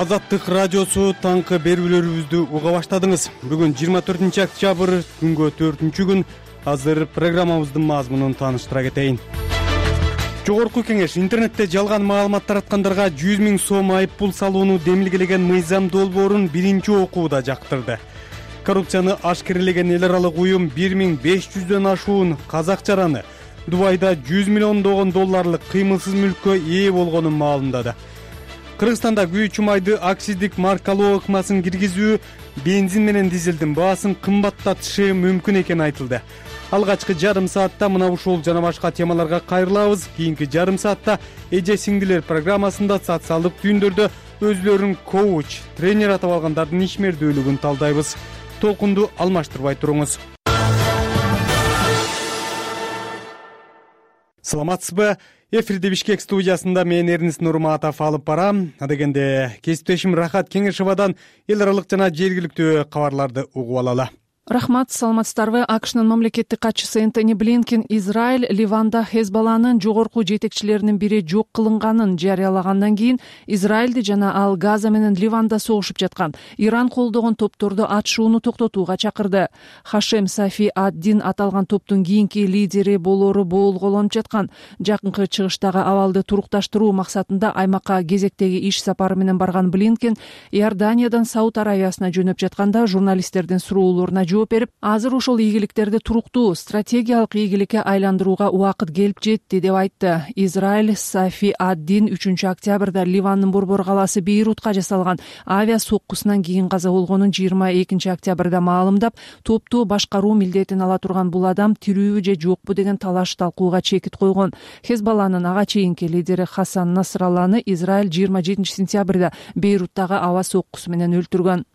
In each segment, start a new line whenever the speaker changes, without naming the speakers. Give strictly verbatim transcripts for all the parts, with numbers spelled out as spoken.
Азаттык радиосу таңкы берүүлөрүбүздү уга баштадыңыз. Бүгүн жыйырма төртүнчү октябрь, күнгө төртүнчү күн. Азыр программабыздын мазмунун тааныштыра кетейин. Жогорку кеңеш интернетте жалган маалымат тараткандарга жүз миң сом айып пул салууну демилгелеген мыйзам долбоорун биринчи окууда жактырды. Коррупцияны ашкерелеген эл аралык уюм бир миң беш жүздөн ашуун казак жараны Дубайда жүз миллиондогон долларлык кыймылсыз мүлккө ээ болгонун маалымдады. Кыргызстанда күйүүчү майды акциздик маркалоо ыкмасын киргизүү бензин менен дизелдин баасын кымбаттатышы мүмкүн экени айтылды. Алгачкы жарым саатта мына ушул жана башка темаларга кайрылабыз. Кийинки жарым саатта эже сиңдилер программасында социалдык түйүндөрдө өзүлөрүн коуч, тренер атап алгандардын ишмердүүлүгүн талдайбыз. Толкунду алмаштырбай туруңуз. Саламатсызбы? Эфирде Бишкек студиясында мен Эрнис Нурматов алып барам. Адегенде кесиптешим Рахат Кеңешовадан эл аралык жана жергиликтүү кабарларды угуп алалы.
Рахмат, саламатсыздарбы? АКШнын мамлекеттик катчысы Энтони Блинкен Израиль Ливанда Хезболланын жогорку жетекчилеринин бири жок кылынганын жарыялагандан кийин Израилди жана ал Газа менен Ливанда согушуп жаткан Иран колдогон топторду атышууну токтотууга чакырды. Хашем Сафи ад-Дин аталган топтун кийинки лидери болоору боолголонуп жаткан. Жакынкы чыгыштагы абалды турукташтыруу максатында аймакка кезектеги иш сапары менен барган Блинкен Иорданиядан Сауд Аравиясына жөнөп жатканда журналисттердин суроолоруна жооп берип, азыр ошол ийгиликтерди туруктуу стратегиялык ийгиликке айландырууга убакыт келип жетти деп айтты. Израиль Сафи ад-Дин үчүнчү октябрда Ливандын борбор калаасы Бейрутка жасалган авиа соккусунан кийин каза болгонун жыйырма экинчи октябрда маалымдап, топту башкаруу милдетин ала турган бул адам тирүүбү же жокпу деген талаш талкууга чекит койгон. Хезболланын ага чейинки лидери Хасан Насралланы Израиль жыйырма жетинчи сентябрда Бейруттагы аба соккусу менен өлтүргөн.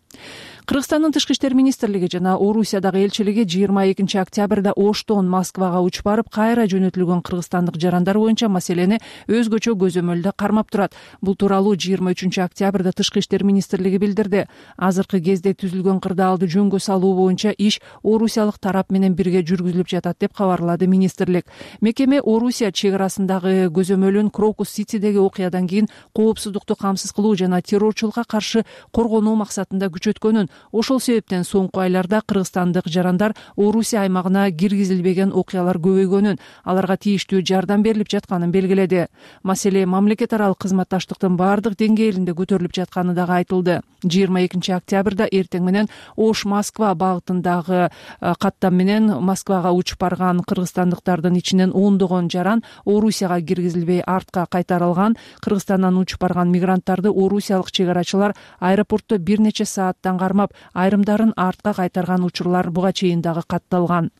Кыргызстандын тышкы иштер министрлиги жана Орусиядагы элчилиги жыйырма экинчи октябрда Оштон Москвага учуп барып, кайра жөнөтүлгөн кыргызстандык жарандар боюнча маселени өзгөчө көзөмөлдө кармап турат. Бул тууралуу жыйырма үчүнчү октябрда тышкы иштер министрлиги билдирди. Азыркы кезде түзүлгөн кырдаалды жөнгө салуу боюнча иш орусиялык тарап менен бирге жүргүзүлүп жатат деп кабарлады министрлик. Мекеме Орусия чек арасындагы көзөмөлүн Крокус-Ситидеги окуядан кийин коопсуздукту камсыз кылуу жана террорчулукка каршы коргонуу максатында күчөткөнүн, ошол себептен соңку айларда кыргызстандык жарандар Орусия аймагына киргизилбеген окуялар көбөйгөнүн, аларга тийиштүү жардам берилип жатканын белгиледи. Маселе мамлекет аралык кызматташтыктын баардык деңгээлинде көтөрүлүп жатканы дагы айтылды. жыйырма экинчи октябрда эртең менен Ош-Москва багытындагы каттам менен Москвага учуп барган кыргызстандыктардын ичинен ондогон жаран Орусияга киргизилбей артка кайтарылган. Кыргызстандан учуп барган мигранттарды орусиялык чек арачылар аэропортто бир нече сааттан кармап, айрымдарын артка кайтарган учурлар буга чейин дагы катталган.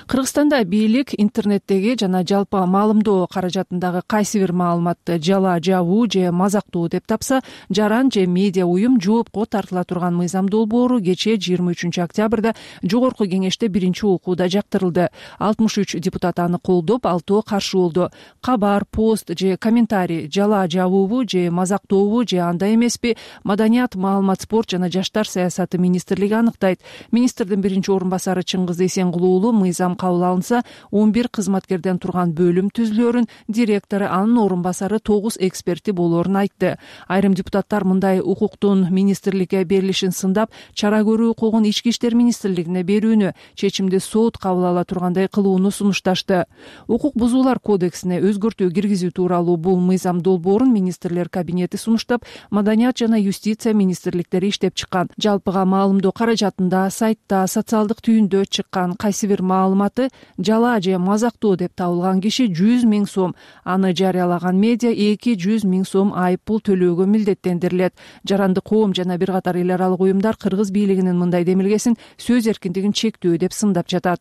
Кыргызстанда бийлик интернеттеги жана жалпы маалымдоо каражатындагы кайсы бир маалыматты жала жабуу же мазактоо деп тапса, жаран же медиа уюм жоопко тартыла турган мыйзам долбоору кечээ жыйырма үчүнчү октябрда жогорку кеңеште биринчи окууда жактырылды. алтымыш үч депутат аны колдоп, алтоо каршы болду. Кабар, пост же комментарий жала жабуубу же мазактообу же андай эмеспи, Маданият, маалымат, спорт жана жаштар саясаты министрлиги аныктайт. Министрдин биринчи орун басары Чыңгыз Эсенгулуу мыйзам кабыл алынса, он бир кызматкерден турган бөлүм түзүлөөрүн, директору, анын орун басары тогуз эксперти болоорун айтты. Айрым депутаттар мындай укуктун министрликке берилишин сындап, чара көрүү укугун ички иштер министрлигине берүүнү, чечимди сот кабыл ала тургандай кылууну сунушташты. Укук бузуулар кодексине өзгөртүү киргизүү тууралуу бул мыйзам долбоорун министрлер кабинети сунуштап, Маданият жана юстиция министрликтери иштеп чыккан. Жалпыга маалымдоо каражатында, сайтта, социалдык түйүндө чыккан кайсы бир маалыматы жала же мазактоо деп табылган киши жүз миң сом, аны жарыялаган медиа эки жүз миң сом айып пул төлөөгө милдеттендирилет. Жарандык коом жана бир катар эл аралык уюмдар кыргыз бийлигинин мындай демилгесин сөз эркиндигин чектөө деп сындап жатат.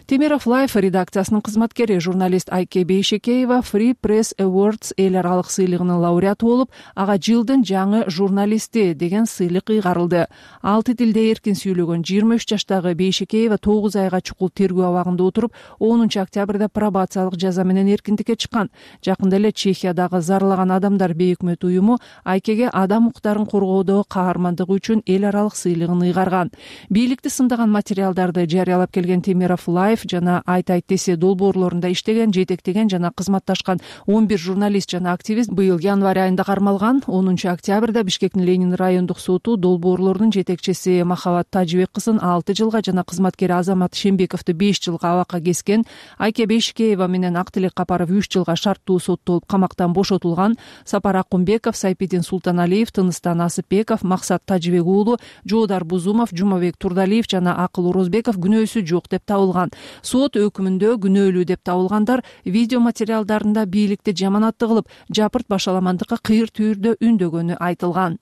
Темиров Лайф редакциясынын кызматкери журналист Айке Бейшекеева Free Press Awards эл аралык сыйлыгынын лауреаты болуп, ага жылдын жаңы журналисти деген сыйлык ыйгарылды. Алты тилде эркин сүйлөгөн жыйырма үч жаштагы Бейшекеева тогуз айга чукул тергөө абагында отуруп, онунчу октябрда пробациялык жаза менен эркиндикке чыккан. Жакында эле Чехиядагы Зарлаган адамдар бейөкмөт уюму Айкеге адам укуктарын коргоодогу каармандыгы үчүн эл аралык сыйлыгын ыйгарган. Бийликти сындаган материалдарды жарыялап келген Темиров Camera of Life жана Айт айт десе долбоорлорунда иштеген, жетектеген жана кызматташкан он бир журналист жана активист быйыл январь айында кармалган. онунчу октябрда Бишкектин Ленин райондук соту долбоорлорунун жетекчиси Махабат Тажибек кызын алты жылга жана кызматкери Азамат Шембековду беш жылга абакка кескен. Айке Бейшикеева менен Актилек Капаров үч жылга шарттуу соттолуп камактан бошотулган. Сапар Акунбеков, Сайпидин Султаналиев, Тыныстан Асыпбеков, Максат Тажибек уулу, Жоодар Бузумов, Жумабек Турдалиев жана Акыл Орозбеков күнөөсү жок деп табылган. Сот өкүмүндө күнөөлүү деп табылгандар видео материалдарында бийликти жаманатты кылып, жапырт башаламандыкка кыйыр түйүрдө үндөгөнү айтылган.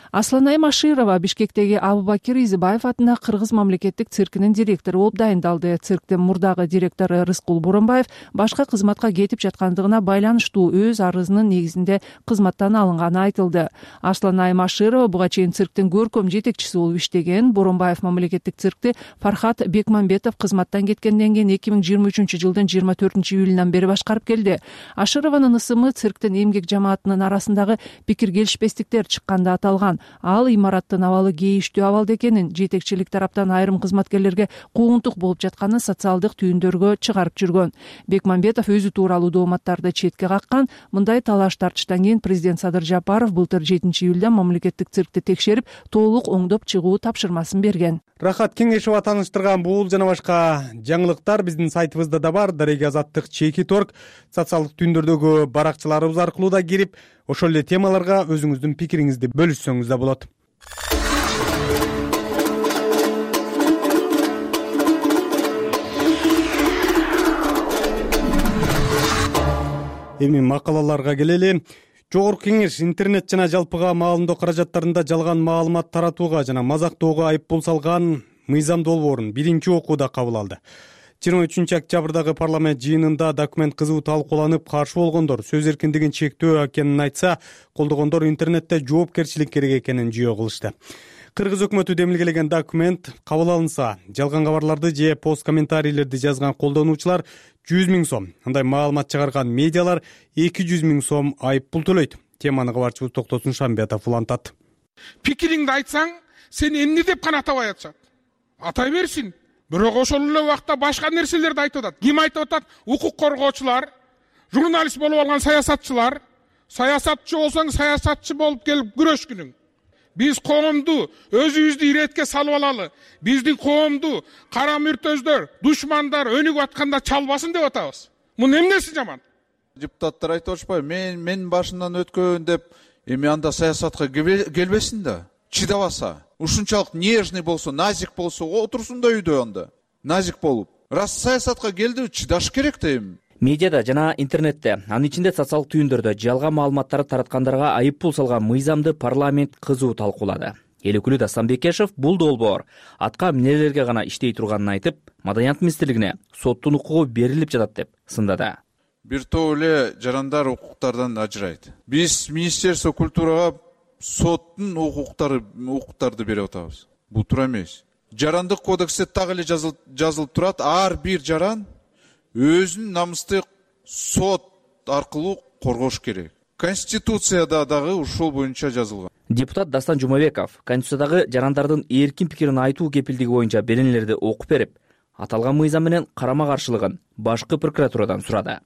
Асланай Маширова Бишкектеги Абубакир Изибаев атына Кыргыз мамлекеттик циркинин директору болуп дайындалды. Цирктин мурдагы директору Рыскул Боронбаев башка кызматка кетип жаткандыгына байланыштуу өз арызынын негизинде кызматтан алынганы айтылды. Асланай Маширова буга чейин цирктин көркөм жетекчиси болуп иштеген. Боронбаев мамлекеттик циркти Фархат Бекмамбетов кызматтан кеткенден кийин эки миң жыйырма үчүнчү жылдын жыйырма төртүнчү июлунан бери башкарып келди. Ашырованын ысымы цирктин эмгек жамаатынын арасындагы пикир келишпестиктер чыкканда аталган. Ал имараттын абалы кейиштүү абалда экенин, жетекчилик тараптан айрым кызматкерлерге куугунтук болуп жатканын социалдык түйүндөргө чыгарып жүргөн. Бекмамбетов өзү тууралуу дооматтарды четке каккан. Мындай талаш тартыштан кийин президент Садыр Жапаров былтыр жетинчи июлда мамлекеттик циркти текшерип, толук оңдоп чыгуу тапшырмасын берген.
Рахат Кеңешова тааныштырган бул жана башка жаңылыктар биздин сайтыбызда да бар. Дареге Азаттык чекит точка орг социалдык түйүндөрдөгү баракчаларыбыз аркылуу да кирип, ошол эле темаларга өзүңүздүн пикириңизди бөлүшсөңүз да болот. Эми макалаларга келели. Жогорку Кеңеш интернет жана жалпыга маалымдоо каражаттарында жалган маалымат таратууга жана мазактоого айыппул салган мыйзам долбоорун биринчи окууда кабыл алды. жыйырма үчүнчү октябрдагы парламент жыйынында документ кызуу талкууланып, каршы болгондор сөз эркиндигин чектөө экенин айтса, колдогондор интернетте жоопкерчилик керек экенин жүйө кылышты. Кыргыз өкмөтү демилгелеген документ кабыл алынса, жалган кабарларды же пост комментарийлерди жазган колдонуучулар жүз миң сом, андай маалымат чыгарган медиалар эки жүз миң сом айыппул төлөйт. Теманы кабарчыбыз Токтосун Шамбиятов улантат.
Пикириңди айтсаң, сен эмне деп гана атабай атышат. Атай берсин. Бирок ошол эле убакта башка нерселерди айтып атат. Ким айтып атат? Укук коргоочулар, журналист болуп алган саясатчылар. Саясатчы болсоң, саясатчы болуп келип күрөшкүнүң. Биз коомду өзүбүздү иретке салып алалы. Биздин коомду кара мүртөздөр, душмандар өнүгүп атканда чалбасын деп атабыз. Мунун эмнеси жаман?
Депутаттар айтып атышпайбы? Мен мен башынан өткөн деп, эми анда саясатка келбесин да. Чыдабаса, ушунчалык нежный болсо, назик болсо, отурсун да үйдө анда. Назик болуп. Раз саясатка келди, чыдаш керек да эми.
Медиада жана интернетте, анын ичинде социалдык түйүндөрдө жалган маалыматтарды тараткандарга айыппул салган мыйзамды парламент кызуу талкуулады. Эл өкүлү Дастан Бекешев бул долбоор атка эмнелерге гана иштей турганын айтып, Маданият министрлигине соттун укугу берилип жатат деп сындады.
Бир топ эле жарандар укуктардан ажырайт. Биз Министерство культурага соттун укуктары укуктарды берип атабыз. Бул туура эмес. Жарандык кодексте так эле жазылып жазылып турат, ар бир жаран өзүнүн намысты сот аркылуу коргош керек. Конституцияда дагы ушул боюнча жазылган.
Депутат Дастан Жумабеков Конституциядагы жарандардын эркин пикирин айтуу кепилдиги боюнча беренелерди окуп берип, аталган мыйзам менен карама-каршылыгын башкы прокуратурадан сурады.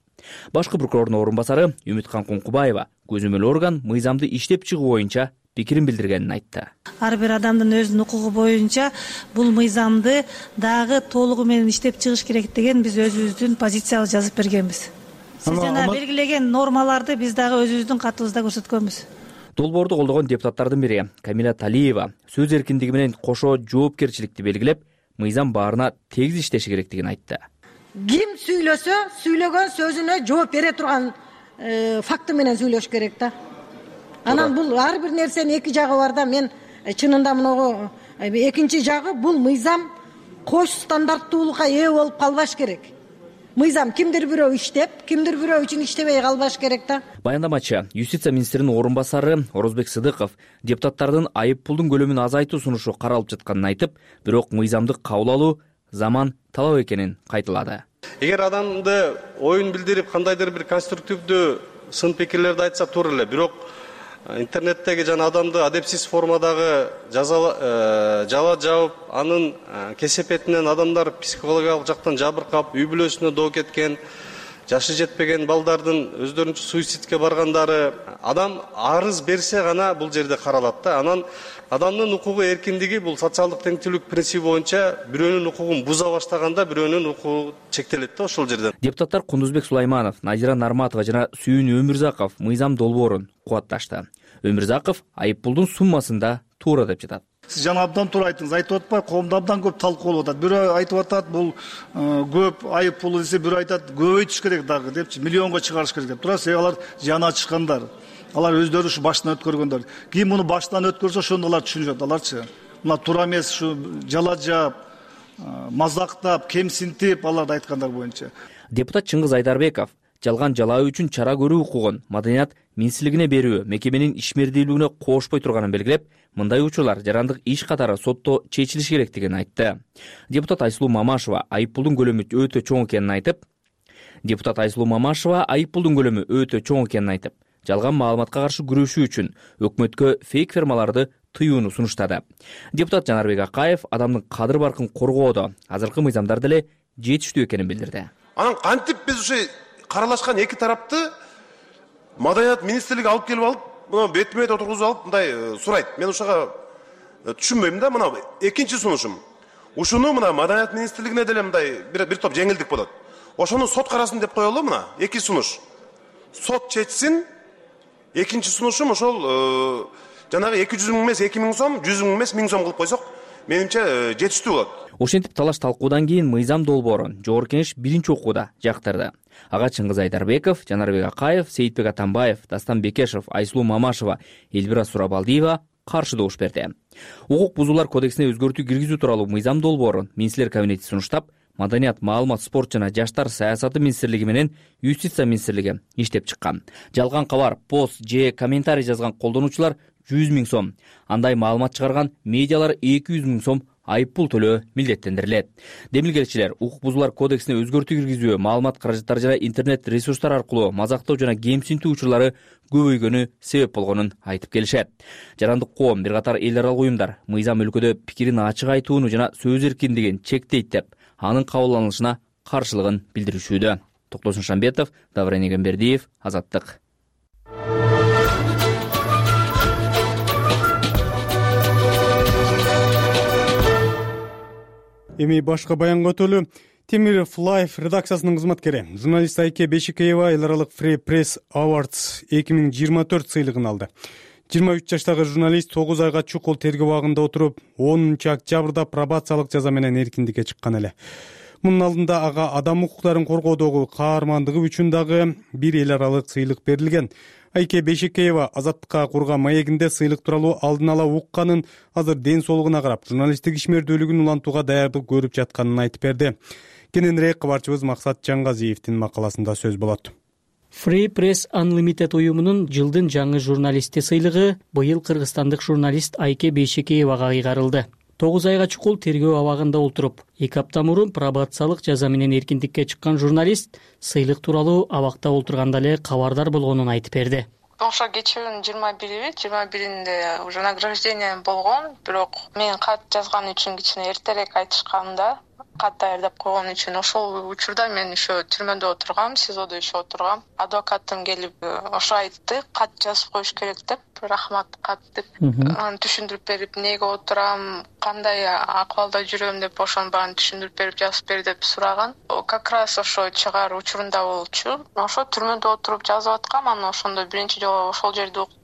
Башкы прокурордун орун басары Үмүткан Кункубаева көзөмөл орган мыйзамды иштеп чыгуу боюнча пикирин билдиргенин айтты.
Ар бир адамдын өзүнүн укугу боюнча бул мыйзамды дагы толугу менен иштеп чыгыш керек деген биз өзүбүздүн позициябызды жазып бергенбиз. Сиз жана белгилеген нормаларды биз дагы өзүбүздүн катыбызда көрсөткөнбүз.
Долбоорду колдогон депутаттардын бири Камила Талиева сөз эркиндиги менен кошо жоопкерчиликти белгилеп, мыйзам баарына тегиз иштеши керектигин айтты.
Ким сүйлөсө, сүйлөгөн сөзүнө жооп бере турган факты менен сүйлөш керек да. Анан бул ар бир нерсенин эки жагы бар да. Мен чынында мынагу экинчи жагы бул мыйзам кош стандарттуулукка ээ болуп калбаш керек. Мыйзам кимдир бирөө иштеп, кимдир бирөө үчүн иштебей калбаш керек да.
Баяндамачы юстиция министринин орун басары Орозбек Сыдыков депутаттардын айып пулдун көлөмүн азайтуу сунушу каралып жатканын айтып, бирок мыйзамды кабыл алуу заман талап экенин кайталады.
Эгер адамды оюн билдирип, кандайдыр бир конструктивдүү сын пикирлерди айтса туура эле, бирок интернеттеги жана адамды адепсиз формадагы жала жабып, анын кесепетинен адамдар психологиялык жактан жабыркап, үй бүлөсүнө доо кеткен, жашы жетпеген балдардын өздөрүнчө суицидке баргандары, адам арыз берсе гана бул жерде каралат да. Анан адамдын укугу эркиндиги бул социалдык теңчилик принципи боюнча бирөөнүн укугун буза баштаганда бирөөнүн укугу чектелет да ошол жерден.
Депутаттар Кундузбек Сулайманов, Назира Нарматова жана Сүйүн Өмүрзаков мыйзам долбоорун кубатташты. Өмүрзаков айыппулдун суммасында туура деп жатат.
Сиз жана абдан туура айттыңыз. Айтып атпай, коомдо абдан көп талкуулап атат. Бирөө айтып атат, бул көп айыппул десе, бирөө айтат, көбөйтүш керек дагы депчи, миллионго чыгарыш керек деп. Туура, себеби алар жаны ачышкандар. Алар өздөрү ушу баштан өткөргөндөр. Ким муну баштан өткөрсө, ошондо алар түшүнүшөт. Аларчы мына туура эмес, ушу жала жаап, мазактап, кемсинтип аларды айткандар боюнча.
Депутат Чыңгыз Айдарбеков жалган жалаа үчүн чара көрүү укугун Маданият министрлигине берүү мекеменин ишмердүүлүгүнө коошпой турганын белгилеп, мындай учурлар жарандык иш катары сотто чечилиш керектигин айтты. Депутат Айсулуу Мамашева айыппулдун көлөмү өтө чоң экенин айтып, депутат Айсулуу Мамашева айыппулдун көлөмү өтө чоң экенин айтып, жалган маалыматка каршы күрөшүү үчүн өкмөткө фейк фермаларды тыюуну сунуштады. Депутат Жанарбек Акаев адамдын кадыр баркын коргоодо азыркы мыйзамдар деле жетиштүү экенин билдирди.
Анан кантип биз ушу каралашкан эки тарапты Маданият министрлиги алып келип алып, мына бетме бет отургузуп алып мындай сурайт. Мен ушуга түшүнбөйм да. Мына экинчи сунушум. Ушуну мына Маданият министрлигине деле мындай бир бир топ жеңилдик болот. Ошону сот карасын деп коелу мына. Эки сунуш. Сот чечсин. Экинчи сунушум ошол жанагы эки жүз миң эмес эки миң сом, жүз миң эмес миң сом кылып койсок, менимче жетиштүү болот.
Ошентип талаш талкуудан кийин мыйзам долбоорун Жогорку Кеңеш биринчи окууда жактырды. Ага Чыңгыз Айдарбеков, Жанарбек Акаев, Сейитбек Атамбаев, Дастан Бекешев, Айсулуу Мамашева, Элбира Сурабалдиева каршы добуш берди. Укук бузуулар кодексине өзгөртүү киргизүү тууралуу мыйзам долбоорун министрлер кабинети сунуштап, Маданият, маалымат, спорт жана жаштар саясаты министрлиги менен Юстиция министрлиги иштеп чыккан. Жалган кабар, пост же комментарий жазган колдонуучулар жүз миң сом, андай маалымат чыгарган медиалар эки жүз миң сом айыппул төлөө милдеттендирилет. Демилгелчилер укук бузуулар кодексине өзгөртүү киргизүү, маалымат каражаттары жана интернет ресурстар аркылуу мазактоо жана кемсинтүү учурлары көбөйгөнү себеп болгонун айтып келишет. Жарандык коом, бир катар эл аралык уюмдар мыйзам өлкөдө пикирин ачык айтууну жана сөз эркиндигин чектейт деп, анын кабыл алынышына каршылыгын билдиришүүдө. Токтосун Шамбетов, Даврен Эгембердиев, Азаттык.
Эми башка баянга өтөлү. Темиров Лайф редакциясынын кызматкери, журналист Айке Бешикеева эл аралык Free Press Awards эки миң жыйырма төрт сыйлыгын алды. жыйырма үч жаштагы журналист тогуз айга чукул тергөө абагында отуруп, онунчу октябрда пробациялык жаза менен эркиндикке чыккан эле. Мунун алдында ага адам укуктарын коргоодогу каармандыгы үчүн дагы бир эл аралык сыйлык берилген. Айке Бешикеева Азаттыкка курган маегинде сыйлык тууралуу алдын ала укканын, азыр ден соолугуна карап, журналисттик ишмердүүлүгүн улантууга даярдык көрүп жатканын айтып берди. Кененирээк кабарчыбыз Максат Жаңгазиевдин макаласында сөз болот.
Free Press Unlimited уюмунун жылдын жаңы журналисти сыйлыгы быйыл кыргызстандык журналист Айке Бешикеевага кыйгарылды. тогуз айга чукул тергөө абагында отуруп, эки апта мурун пробациялык жаза менен эркиндикке чыккан журналист сыйлык тууралуу абакта олтурганда эле кабардар болгонун айтып берди.
Ошо кечүүнүн жыйырма бири, жыйырма биринде уже награждение болгон, бирок мен кат жазган үчүн кичине эртерээк айтышкан да. Кат даярдап койгон үчүн ошол учурда мен еще түрмөдө отургам, СИЗОдо еще отургам. Адвокатым келип ошо айтты, кат жазып коюш керек деп, рахмат кат деп. Аны түшүндүрүп берип, эмнеге отурам, кандай акыбалда жүрөм деп ошонун баарын түшүндүрүп берип, жазып бер деп сураган. Как раз ошо чыгаар учурунда болчу. Ошо түрмөдө отуруп жазып аткам, анан ошондо биринчи жолу ошол жерде уккам.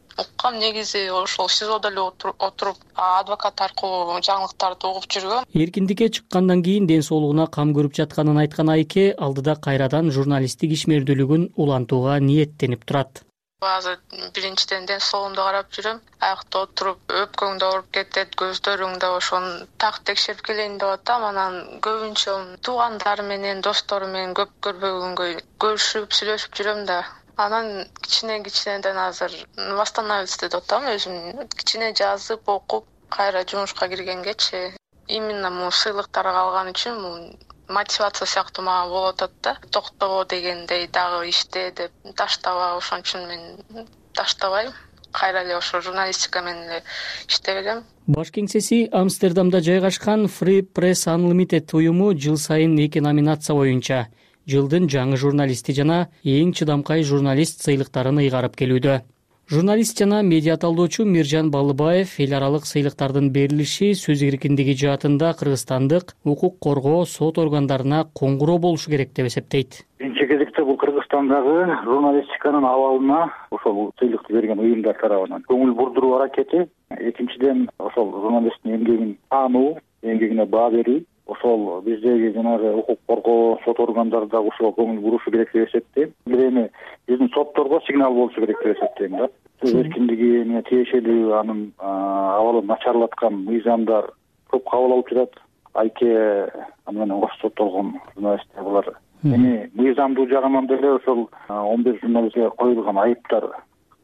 Негизи ошол СИЗОдо эле отуруп адвокат аркылуу жаңылыктарды угуп жүргөм.
Эркиндикке чыккандан кийин ден соолугуна кам көрүп жатканын айткан Айке алдыда кайрадан журналисттик ишмердүүлүгүн улантууга ниеттенип турат.
Азыр биринчиден ден соолугумду карап жүрөм. Аякта отуруп, өпкөң да ооруп кетет, көздөрүң да ошону так текшерип келейин деп атам. Анан көбүнчө туугандар менен, достору менен көп көрбөгөнгө көрүшүп, сүйлөшүп жүрөм да. Анан кичине кичинеден азыр восстановиться деп атам, өзүм кичине жазып, окуп, кайра жумушка киргенгечи именно могу сыйлыктарды алган үчүн мотивация сыяктуу мага болуп атат да. Токтобо дегендей дагы иште деп таштаба, ошон үчүн мен таштабайм. кайра эле ошо журналистика менен эле иштеп элем.
Баш кеңсеси Амстердамда жайгашкан Free Press Unlimited уюму жыл сайын эки номинация боюнча жылдын жаңы журналисти жана эң чыдамкай журналист сыйлыктарын ыйгарып келүүдө. Журналист жана медиа талдоочу Миржан Балыбаев эл аралык сыйлыктардын берилиши сөз эркиндиги жаатында кыргызстандык укук коргоо сот органдарына коңгуроо болушу керек деп эсептейт.
Биринчи кезекте бул Кыргызстандагы журналистиканын абалына ошол сыйлыкты берген уюмдар тарабынан көңүл бурдуруу аракети, экинчиден ошол журналисттин эмгегин таануу, эмгегине баа берүү, ошол биздеги жанагы укук коргоо сот органдары дагы ошого көңүл бурушу керек деп эсептейм. Бир эми биздин сотторго сигнал болушу керек деп эсептейм да. Сөз эркиндигине тиешелүү анын абалын начарлаткан мыйзамдар көп кабыл алып жатат. Айке менен кош соттолгон журналисттер булар. Эми мыйзамдуу жагынан деле ошол он беш журналистке коюлган айыптар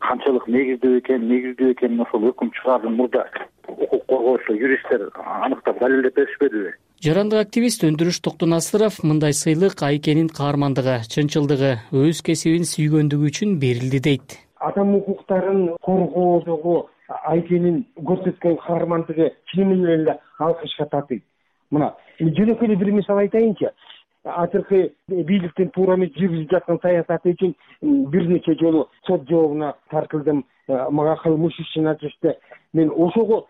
канчалык негиздүү экен, негиздүү экенин ошол өкүм чыгаардын мурда укук коргоочу юристтер аныктап далилдеп беришпедиби?
Жарандык активист Өндүрүш Токтонасыров мындай сыйлык Айкенин каармандыгы, чынчылдыгы, өз кесибин сүйгөндүгү үчүн берилди дейт.
Адам укуктарын коргоодогу Айкенин көрсөткөн каармандыгы чынымен эле алкышка татыйт. Мына жөнөкөй эле бир мисал айтайынчы. Азыркы бийликтин туура эмес жүргүзүп жаткан саясаты үчүн бир нече жолу сот жообуна тартылдым. Мага кылмыш ишин ачышты. Мен ошого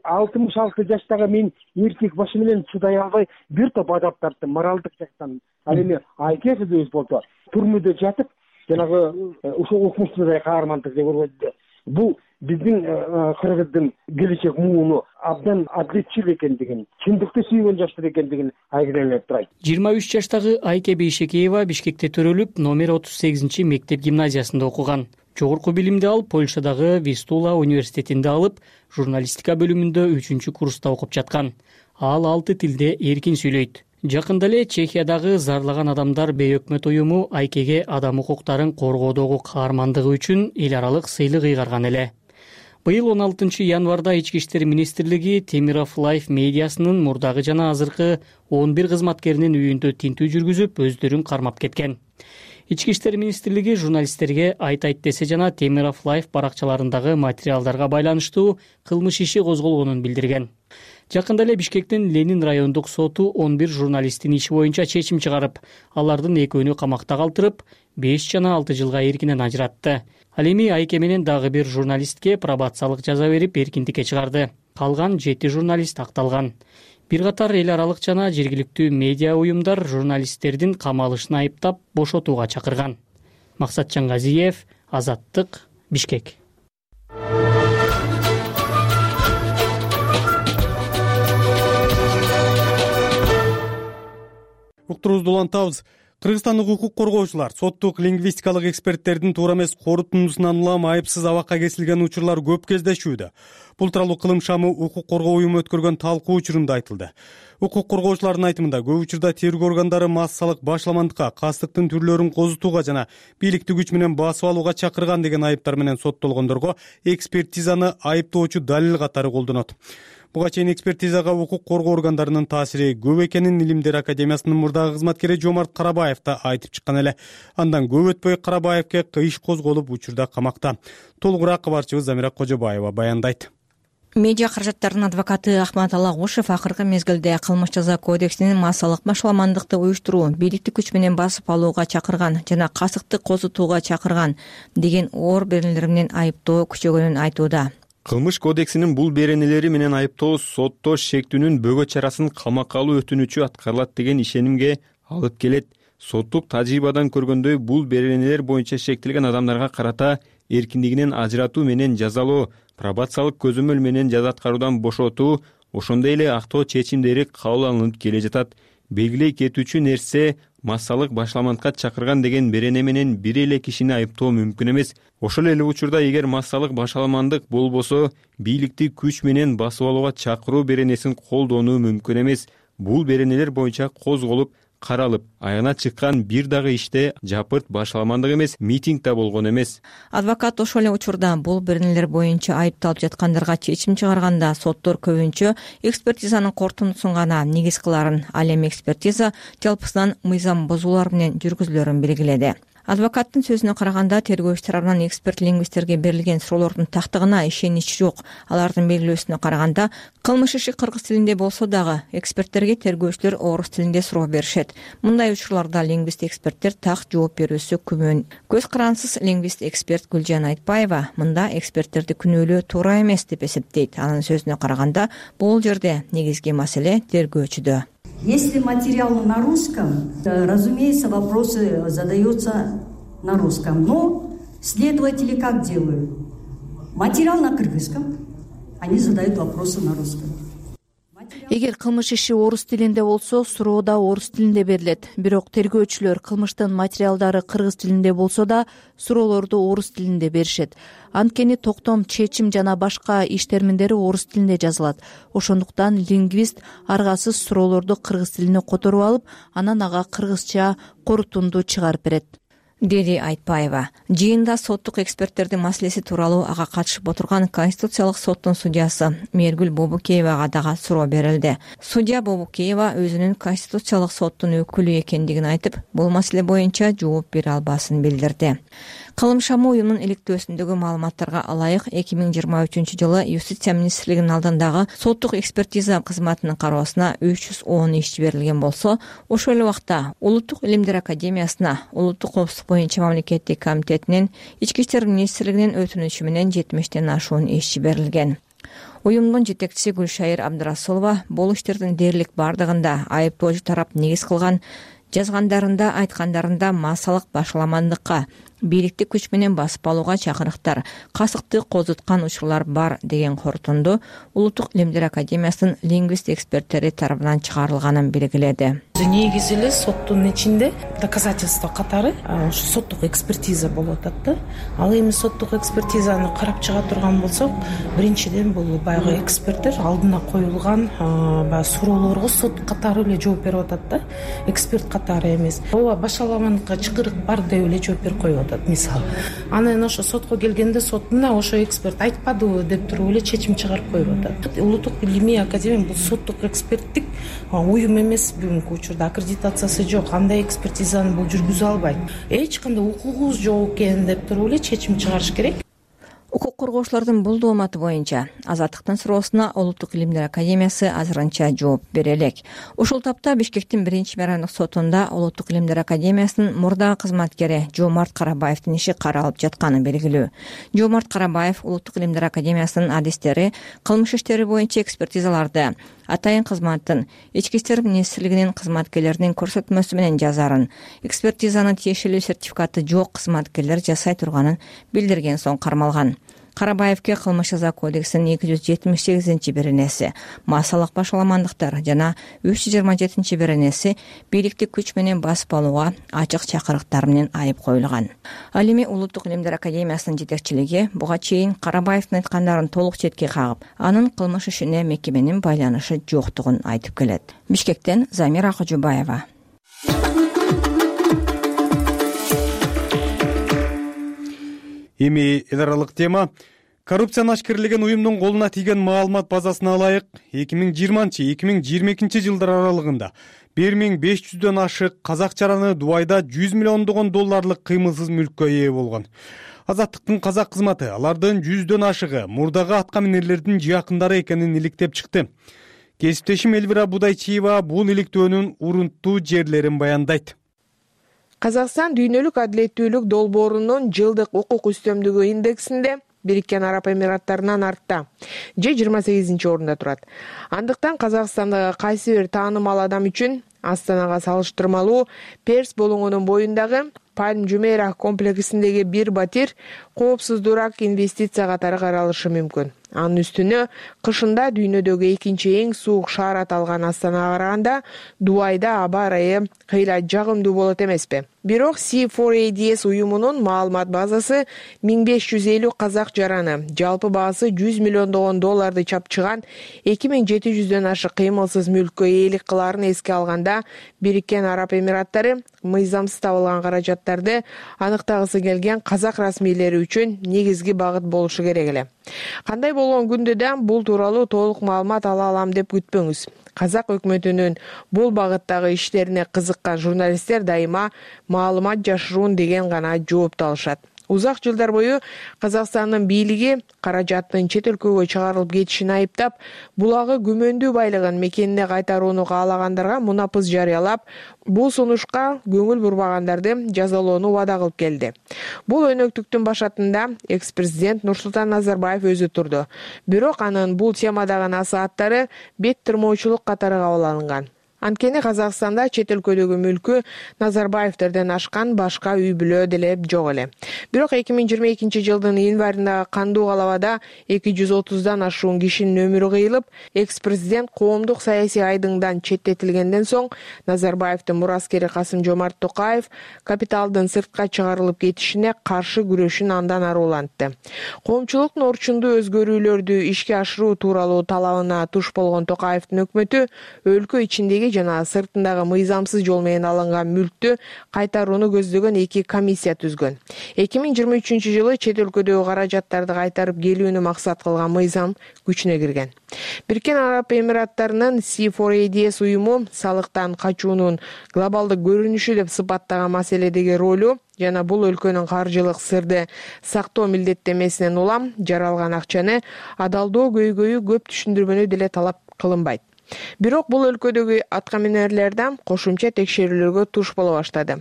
алтымыш алты жаштагы мен эркек башы менен чыдай албай бир топ адап тарттым моралдык жактан. Ал эми Айке кызыбыз болсо түрмөдө жатып жанагы ошол укмуштуудай каармандык көргөздү. Бул биздин кыргыздын келечек мууну абдан адилетчил экендигин, чындыкты сүйгөн жаштар экендигин айгинелеп турат.
жыйырма үч жаштагы Айке Бейшекеева Бишкекте төрөлүп, номер отуз сегизинчи мектеп гимназиясында окуган. Жогорку билимди алып, Польшадагы Вистула университетинде алып, журналистика бөлүмүндө үчүнчү курста окуп жаткан. Ал алты тилде эркин сүйлөйт. Жакында эле Чехиядагы Зарлаган адамдар бейөкмөт уюму Айкеге адам укуктарын коргоодогу каармандыгы үчүн эл аралык сыйлык ыйгарган эле. Быйыл он алтынчы январда Ички иштер министрлиги Темиров Лайф медиасынын мурдагы жана азыркы он бир кызматкеринин үйүндө тинтүү жүргүзүп, өздөрүн кармап кеткен. Ички иштер министрлиги журналисттерге айтайт десе жана Темиров Лайф баракчаларындагы материалдарга байланыштуу кылмыш иши козголгонун билдирген. Жакында эле Бишкектин Ленин райондук соту он бир журналисттин иши боюнча чечим чыгарып, алардын экөөнү камакта калтырып, беш жана алты жылга эркинен ажыратты. Ал эми Айке менен дагы бир журналистке пробациялык жаза берип, эркиндикке чыгарды. Калган жети журналист акталган. Бир катар эл аралык жана жергиликтүү медиа уюмдар журналисттердин камалышын айыптап, бошотууга чакырган. Максатжан Газиев, Азаттык, Бишкек.
Уктурубузду улантабыз. Кыргызстандык укук коргоочулар соттук лингвистикалык эксперттердин туура эмес корутундусунан улам айыпсыз абакка кесилген учурлар көп кездешүүдө. Бул тууралуу Кылым шамы укук коргоо уюму өткөргөн талкуу учурунда айтылды. Укук коргоочулардын айтымында көп учурда тергөө органдары массалык башламандыкка, кастыктын түрлөрүн козутууга жана бийликти күч менен басып алууга чакырган деген айыптар менен соттолгондорго экспертизаны айыптоочу далил катары колдонот. Буга чейин экспертизага укук коргоо органдарынын таасири көп экенин Илимдер академиясынын мурдагы кызматкери Жомарт Карабаев да айтып чыккан эле. Андан көп өтпөй Карабаевке иш козголуп, учурда камакта. Толугураак кабарчыбыз Замира Кожобаева баяндайт.
Медиа каражаттарынын адвокаты Ахмат Алагушев акыркы мезгилде кылмыш жаза кодексинин массалык башаламандыкты уюштуруу, бийликти күч менен басып алууга чакырган жана касыкты козутууга чакырган деген оор беренелер менен айыптоо күчөгөнүн айтууда.
Кылмыш кодексинин бул беренелери менен айыптоо сотто шектүүнүн бөгө чарасын камакка алуу өтүнүчү аткарылат деген ишенимге алып келет. Соттук тажрыйбадан көргөндөй, бул беренелер боюнча шектелген адамдарга карата эркиндигинен ажыратуу менен жазалоо, пробациялык көзөмөл менен жаза аткаруудан бошотуу, ошондой эле актоо чечимдери кабыл алынып келе жатат. Белгилей кетүүчү нерсе, массалык башламандыкка чакырган деген берене менен бир эле кишини айыптоо мүмкүн эмес. Ошол эле учурда эгер массалык башаламандык болбосо, бийликти күч менен басып алууга чакыруу беренесин колдонуу мүмкүн эмес. Бул беренелер боюнча козголуп, каралып, аягына чыккан бир дагы иште жапырт башаламандык эмес, митинг да болгон эмес.
Адвокат ошол эле учурда бул беренелер боюнча айыпталып жаткандарга чечим чыгарганда соттор көбүнчө экспертизанын корутундусун гана негиз кыларын, ал эми экспертиза жалпысынан мыйзам бузуулар менен жүргүзүлөрүн белгиледи. Адвокаттын сөзүнө караганда тергөөчү тарабынан эксперт лингвисттерге берилген суроолордун тактыгына ишенич жок. Алардын белгилөөсүнө караганда кылмыш иши кыргыз тилинде болсо дагы эксперттерге тергөөчүлөр орус тилинде суроо беришет. Мындай учурларда лингвист эксперттер так жооп берүүсү күмөн. Көз карансыз лингвист эксперт Гүлжан Айтбаева мында эксперттерди күнөөлөө туура эмес деп эсептейт. Анын сөзүнө караганда бул жерде негизги маселе тергөөчүдө.
Если материал на русском, разумеется, вопросы задаются на русском. Но следователи как делают? Материал на кыргызском, они задают вопросы на русском.
Эгер кылмыш иши орус тилинде болсо, суроо да орус тилинде берилет. Бирок тергөөчүлөр кылмыштын материалдары кыргыз тилинде болсо да суроолорду орус тилинде беришет. Анткени токтом, чечим жана башка иш терминдери орус тилинде жазылат. Ошондуктан лингвист аргасыз суроолорду кыргыз тилине которуп алып, анан ага кыргызча корутунду чыгарып берет,
деди Айтбаева. Жыйында соттук эксперттердин маселеси тууралуу ага катышып отурган Конституциялык соттун судьясы Мээргүл Бобукеевага дагы суроо берилди. Судья Бобукеева өзүнүн Конституциялык соттун өкүлү экендигин айтып, бул маселе боюнча жооп бере албасын билдирди. Кылымшамы уюмунун иликтөөсүндөгү маалыматтарга ылайык эки миң жыйырма үчүнчү жылы Юстиция министрлигинин алдындагы соттук экспертиза кызматынын кароосуна үч жүз он иш жиберилген болсо, ошол эле убакта Улуттук илимдер академиясына, Улуттук коопсуздук боюнча мамлекеттик комитетинин, Ички иштер министрлигинин өтүнүчү менен жетимиштен ашуун иш жиберилген. Уюмдун жетекчиси Гүлшайыр Абдырасулова бул иштердин дээрлик бардыгында айыптоочу тарап негиз кылган жазгандарында, айткандарында массалык башаламандыкка, бийликтик күч менен басып алууга чакырыктар, касыкты козуткан учурлар бар деген корутунду Улуттук илимдер академиясынын лингвист эксперттери тарабынан чыгарылганын белгиледи.
Негизи эле соттун ичинде доказательство катары ошо соттук экспертиза болуп атат да. Ал эми соттук экспертизаны карап чыга турган болсок, биринчиден бул баягы эксперттер алдына коюлган баягы суроолорго сот катары эле жооп берип атат да, эксперт катары эмес. Ооба башаламандыкка чакырык бар деп эле жооп берип коюп атат мисалы. Анан ошо сотко келгенде сот мына ошо эксперт айтпадыбы деп туруп эле чечим чыгарып коюп атат. Улуттук илимий академия бул соттук эксперттик уюм эмес, бүгүнкү учурда аккредитациясы жок, андай экспертизаны бул жүргүзө албайт. Эч кандай укугубуз жок экен деп туруп эле чечим чыгарыш керек.
Укук коргоочулардын бул дооматы боюнча Азаттыктын суроосуна Улуттук илимдер академиясы азырынча жооп бере элек. Ушул тапта Бишкектин биринчи мэрандык сотунда Улуттук илимдер академиясынын мурдагы кызматкери Жоомарт Карабаевдин иши каралып жатканы белгилүү. Жоомарт Карабаев Улуттук илимдер академиясынын адистери кылмыш иштери боюнча экспертизаларды атайын кызматтын, Ички иштер министрлигинин кызматкерлеринин көрсөтмөсү менен жазарын, экспертизанын тиешелүү сертификаты жок кызматкерлер жасай турганын билдирген соң кармалган. Карабаевке кылмыш жаза кодексинин эки жүз жетимиш сегизинчи беренеси, массалык башаламандыктар жана үч жүз жыйырма жетинчи беренеси бийликтик күч менен басып алууга ачык чакырыктар менен айып коюлган. Ал эми Улуттук илимдер академиясынын жетекчилиги буга чейин Карабаевдин айткандарын толук четке кагып, анын кылмыш ишине мекеменин байланышы жоктугун айтып келет. Бишкектен Замира Кожубаева.
Эми эл аралык тема. Коррупцияны ашкерлеген уюмдун колуна тийген маалымат базасына ылайык эки миң жыйырманчы эки миң жыйырма экинчи жылдар аралыгында бир миң беш жүздөн ашык казак жараны Дубайда жүз миллиондогон долларлык кыймылсыз мүлккө ээ болгон. Азаттыктын казак кызматы алардын жүздөн ашыгы мурдагы атка минерлердин жакындары экенин иликтеп чыкты. Кесиптешим Элвира Будайчиева бул иликтөөнүн урунттуу жерлерин баяндайт.
Казакстан дүйнөлүк адилеттүүлүк долбоорунун жылдык укук үстөмдүгү индексинде Бириккен Араб Эмираттарынан артта, же жыйырма сегизинчи орунда турат. Андыктан Казакстандагы кайсы бир таанымал адам үчүн Астанага салыштырмалуу Перс болуңунун боюндагы Пальм Жумейра комплексиндеги бир батир коопсуздуураак инвестиция катары каралышы мүмкүн. Анын үстүнө кышында дүйнөдөгү экинчи эң суук шаар аталган Астанага караганда Дубайда аба ырайы кыйла жагымдуу болот эмеспи? Бирок си фор эй ди эс уюмунун маалымат базасы миң беш жүз элүү казак жараны, жалпы баасы жүз миллиондогон долларды чапчыган эки миң жети жүздөн ашык кыймылсыз мүлккө ээлик кылаарын эске алганда, Бириккен Араб Эмираттары мыйзамсыз табылган каражаттарды аныктагысы келген казак расмийлери үчүн негизги багыт болушу керек эле. Кандай болгон күндө да бул тууралуу толук маалымат ала алам деп күтпөңүз. казак өкмөтүнүн бул багыттагы иштерине кызыккан журналисттер дайыма маалымат жашыруун деген гана жоопту алышат. Узак жылдар бою Казакстандын бийлиги каражаттын чет өлкөгө чыгарылып кетишин айыптап, булагы күмөндүү байлыгын мекенине кайтарууну каалагандарга мунапыс жарыялап, бул сунушка көңүл бурбагандарды жазалоону убада кылып келди. Бул өнөктүктүн башатында экс-президент Нурсултан Назарбаев өзү турду. Бирок анын бул темадагы насааттары бет тырмоочулук катары кабыл алынган. Анткени Казакстанда чет өлкөдөгү мүлкү Назарбаевтерден ашкан башка үй бүлө деле жок эле. Бирок эки миң жыйырма экинчи жылдын январындагы кандуу калабада эки жүз отуздан ашуун кишинин өмүрү кыйылып, экс-президент коомдук саясий айдыңдан четтетилгенден соң Назарбаевдин мураскери Касым-Жомарт Токаев капиталдын сыртка чыгарылып кетишине каршы күрөшүн андан ары улантты. Коомчулуктун орчундуу өзгөрүүлөрдү ишке ашыруу тууралуу талабына туш болгон Токаевдин өкмөтү өлкө ичиндеги жана сыртындагы мыйзамсыз жол менен алынган мүлктү кайтарууну көздөгөн эки комиссия түзгөн. эки миң жыйырма үчүнчү жылы чет өлкөдөгү каражаттарды кайтарып келүүнү максат кылган мыйзам күчүнө кирген. Бириккен Араб Эмираттарынын си фор эй ди эс уюму салыктан качуунун глобалдык көрүнүшү деп сыпаттаган маселедеги ролу жана бул өлкөнүн каржылык сырды сактоо милдеттемесинен улам жаралган акчаны адалдоо көйгөйү көп түшүндүрмөнү деле талап кылынбайт. Бирок бул өлкөдөгү аткаминерлерден кошумча текшерүүлөргө туш боло баштады.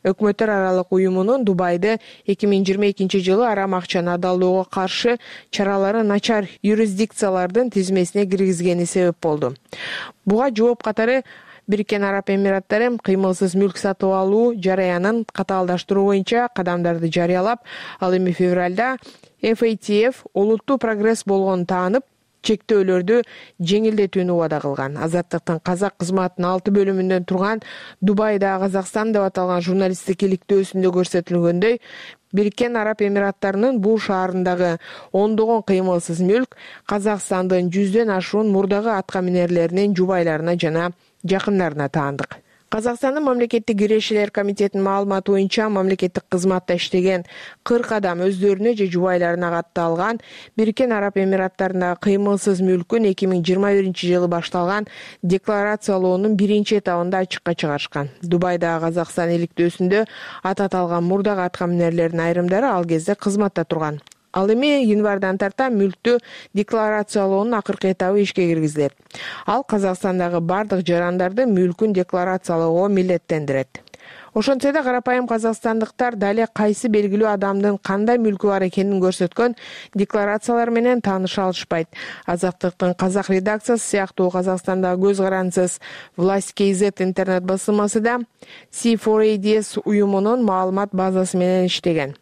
Өкмөттөр аралык уюмунун Дубайды эки миң жыйырма экинчи жылы арам акчаны адалдоого каршы чаралары начар юрисдикциялардын тизмесине киргизгени себеп болду. Буга жооп катары Бириккен Араб Эмираттары кыймылсыз мүлк сатып алуу жараянын катаалдаштыруу боюнча кадамдарды жарыялап, ал эми февралда эф эй ти эф олуттуу прогресс болгонун таанып, чектөөлөрдү жеңилдетүүнү убада кылган. Азаттыктын казак кызматынын алты бөлүмүндөн турган Дубайда Казакстан деп аталган журналисттик иликтөөсүндө көрсөтүлгөндөй, Бириккен Араб Эмираттарынын бул шаарындагы ондогон кыймылсыз мүлк Казакстандын жүздөн ашуун мурдагы аткаминерлеринин жубайларына жана жакындарына таандык. Казакстандын мамлекеттик кирешелер комитетинин маалыматы боюнча, мамлекеттик кызматта иштеген кырк адам өздөрүнө же жубайларына катталган Бириккен Араб Эмираттарындагы кыймылсыз мүлкүн эки миң жыйырма биринчи жылы башталган декларациялоонун биринчи этабында ачыкка чыгарышкан. Дубайдагы Казакстан иликтөөсүндө ат аталган мурдагы аткаминерлердин айрымдары ал кезде кызматта турган. Ал эми январдан тарта мүлктү декларациялоонун акыркы этабы ишке киргизилет. Ал Казакстандагы бардык жарандарды мүлкүн декларациялоого милдеттендирет. Ошентсе да карапайым казакстандыктар дале кайсы белгилүү адамдын кандай мүлкү бар экенин көрсөткөн декларациялар менен тааныша алышпайт. Азаттыктын казак редакциясы сыяктуу Казакстандагы көз карансыз Власть кз интернет басылмасы да си фор эй ди эс уюмунун маалымат базасы менен иштеген.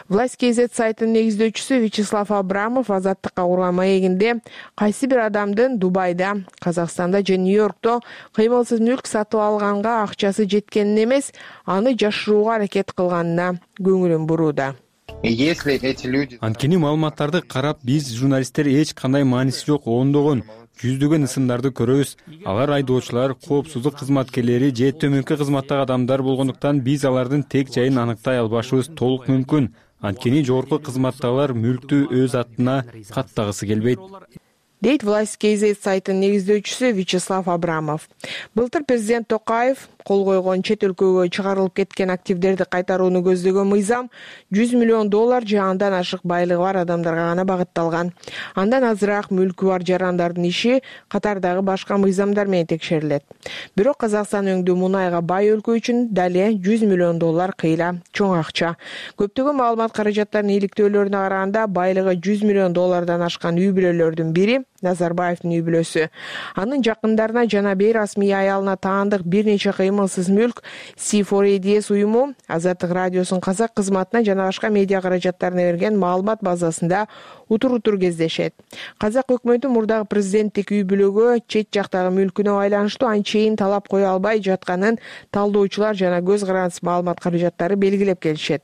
Власть кз сайтынын негиздөөчүсү Вячеслав Абрамов Азаттыкка курган маегинде кайсы бир адамдын Дубайда, Казакстанда же Нью-Йоркто кыймылсыз мүлк сатып алганга акчасы жеткенин эмес, аны жашырууга аракет кылганына көңүлүн бурууда.
Анткени маалыматтарды карап, биз журналисттер эч кандай мааниси жок ондогон жүздөгөн ысымдарды көрөбүз. Алар айдоочулар, коопсуздук кызматкерлери же төмөнкү кызматтагы адамдар болгондуктан биз алардын тек жайын аныктай албашыбыз толук мүмкүн. Анткени жогорку кызматтагылар мүлктү өз атына каттагысы келбейт,
дейт Власть кз сайтынын негиздөөчүсү Вячеслав Абрамов. Былтыр президент Токаев кол койгон чет өлкөгө чыгарылып кеткен активдерди кайтарууну көздөгөн мыйзам жүз миллион доллар же андан ашык байлыгы бар адамдарга гана багытталган. Андан азыраак мүлкү бар жарандардын иши катардагы башка мыйзамдар менен текшерилет. Бирок Казакстан өңдүү мунайга бай өлкө үчүн дале жүз миллион доллар кыйла чоң акча. Көптөгөн маалымат каражаттарынын иликтөөлөрүнө караганда байлыгы жүз миллион доллардан ашкан үй бүлөлөрдүн бири Назарбаевдин үй бүлөсү. Анын жакындарына жана бейрасмий аялына таандык бир нече кыймылсыз мүлк си фор эй ди эс уюму Азаттык радиосунун казак кызматына жана башка медиа каражаттарына берген маалымат базасында утур-утур кездешет. Казак өкмөтү мурдагы президенттик үй бүлөгө чет жактагы мүлкүнө байланыштуу анчейин талап кое албай жатканын талдоочулар жана көз карандыс маалымат каражаттары белгилеп келишет.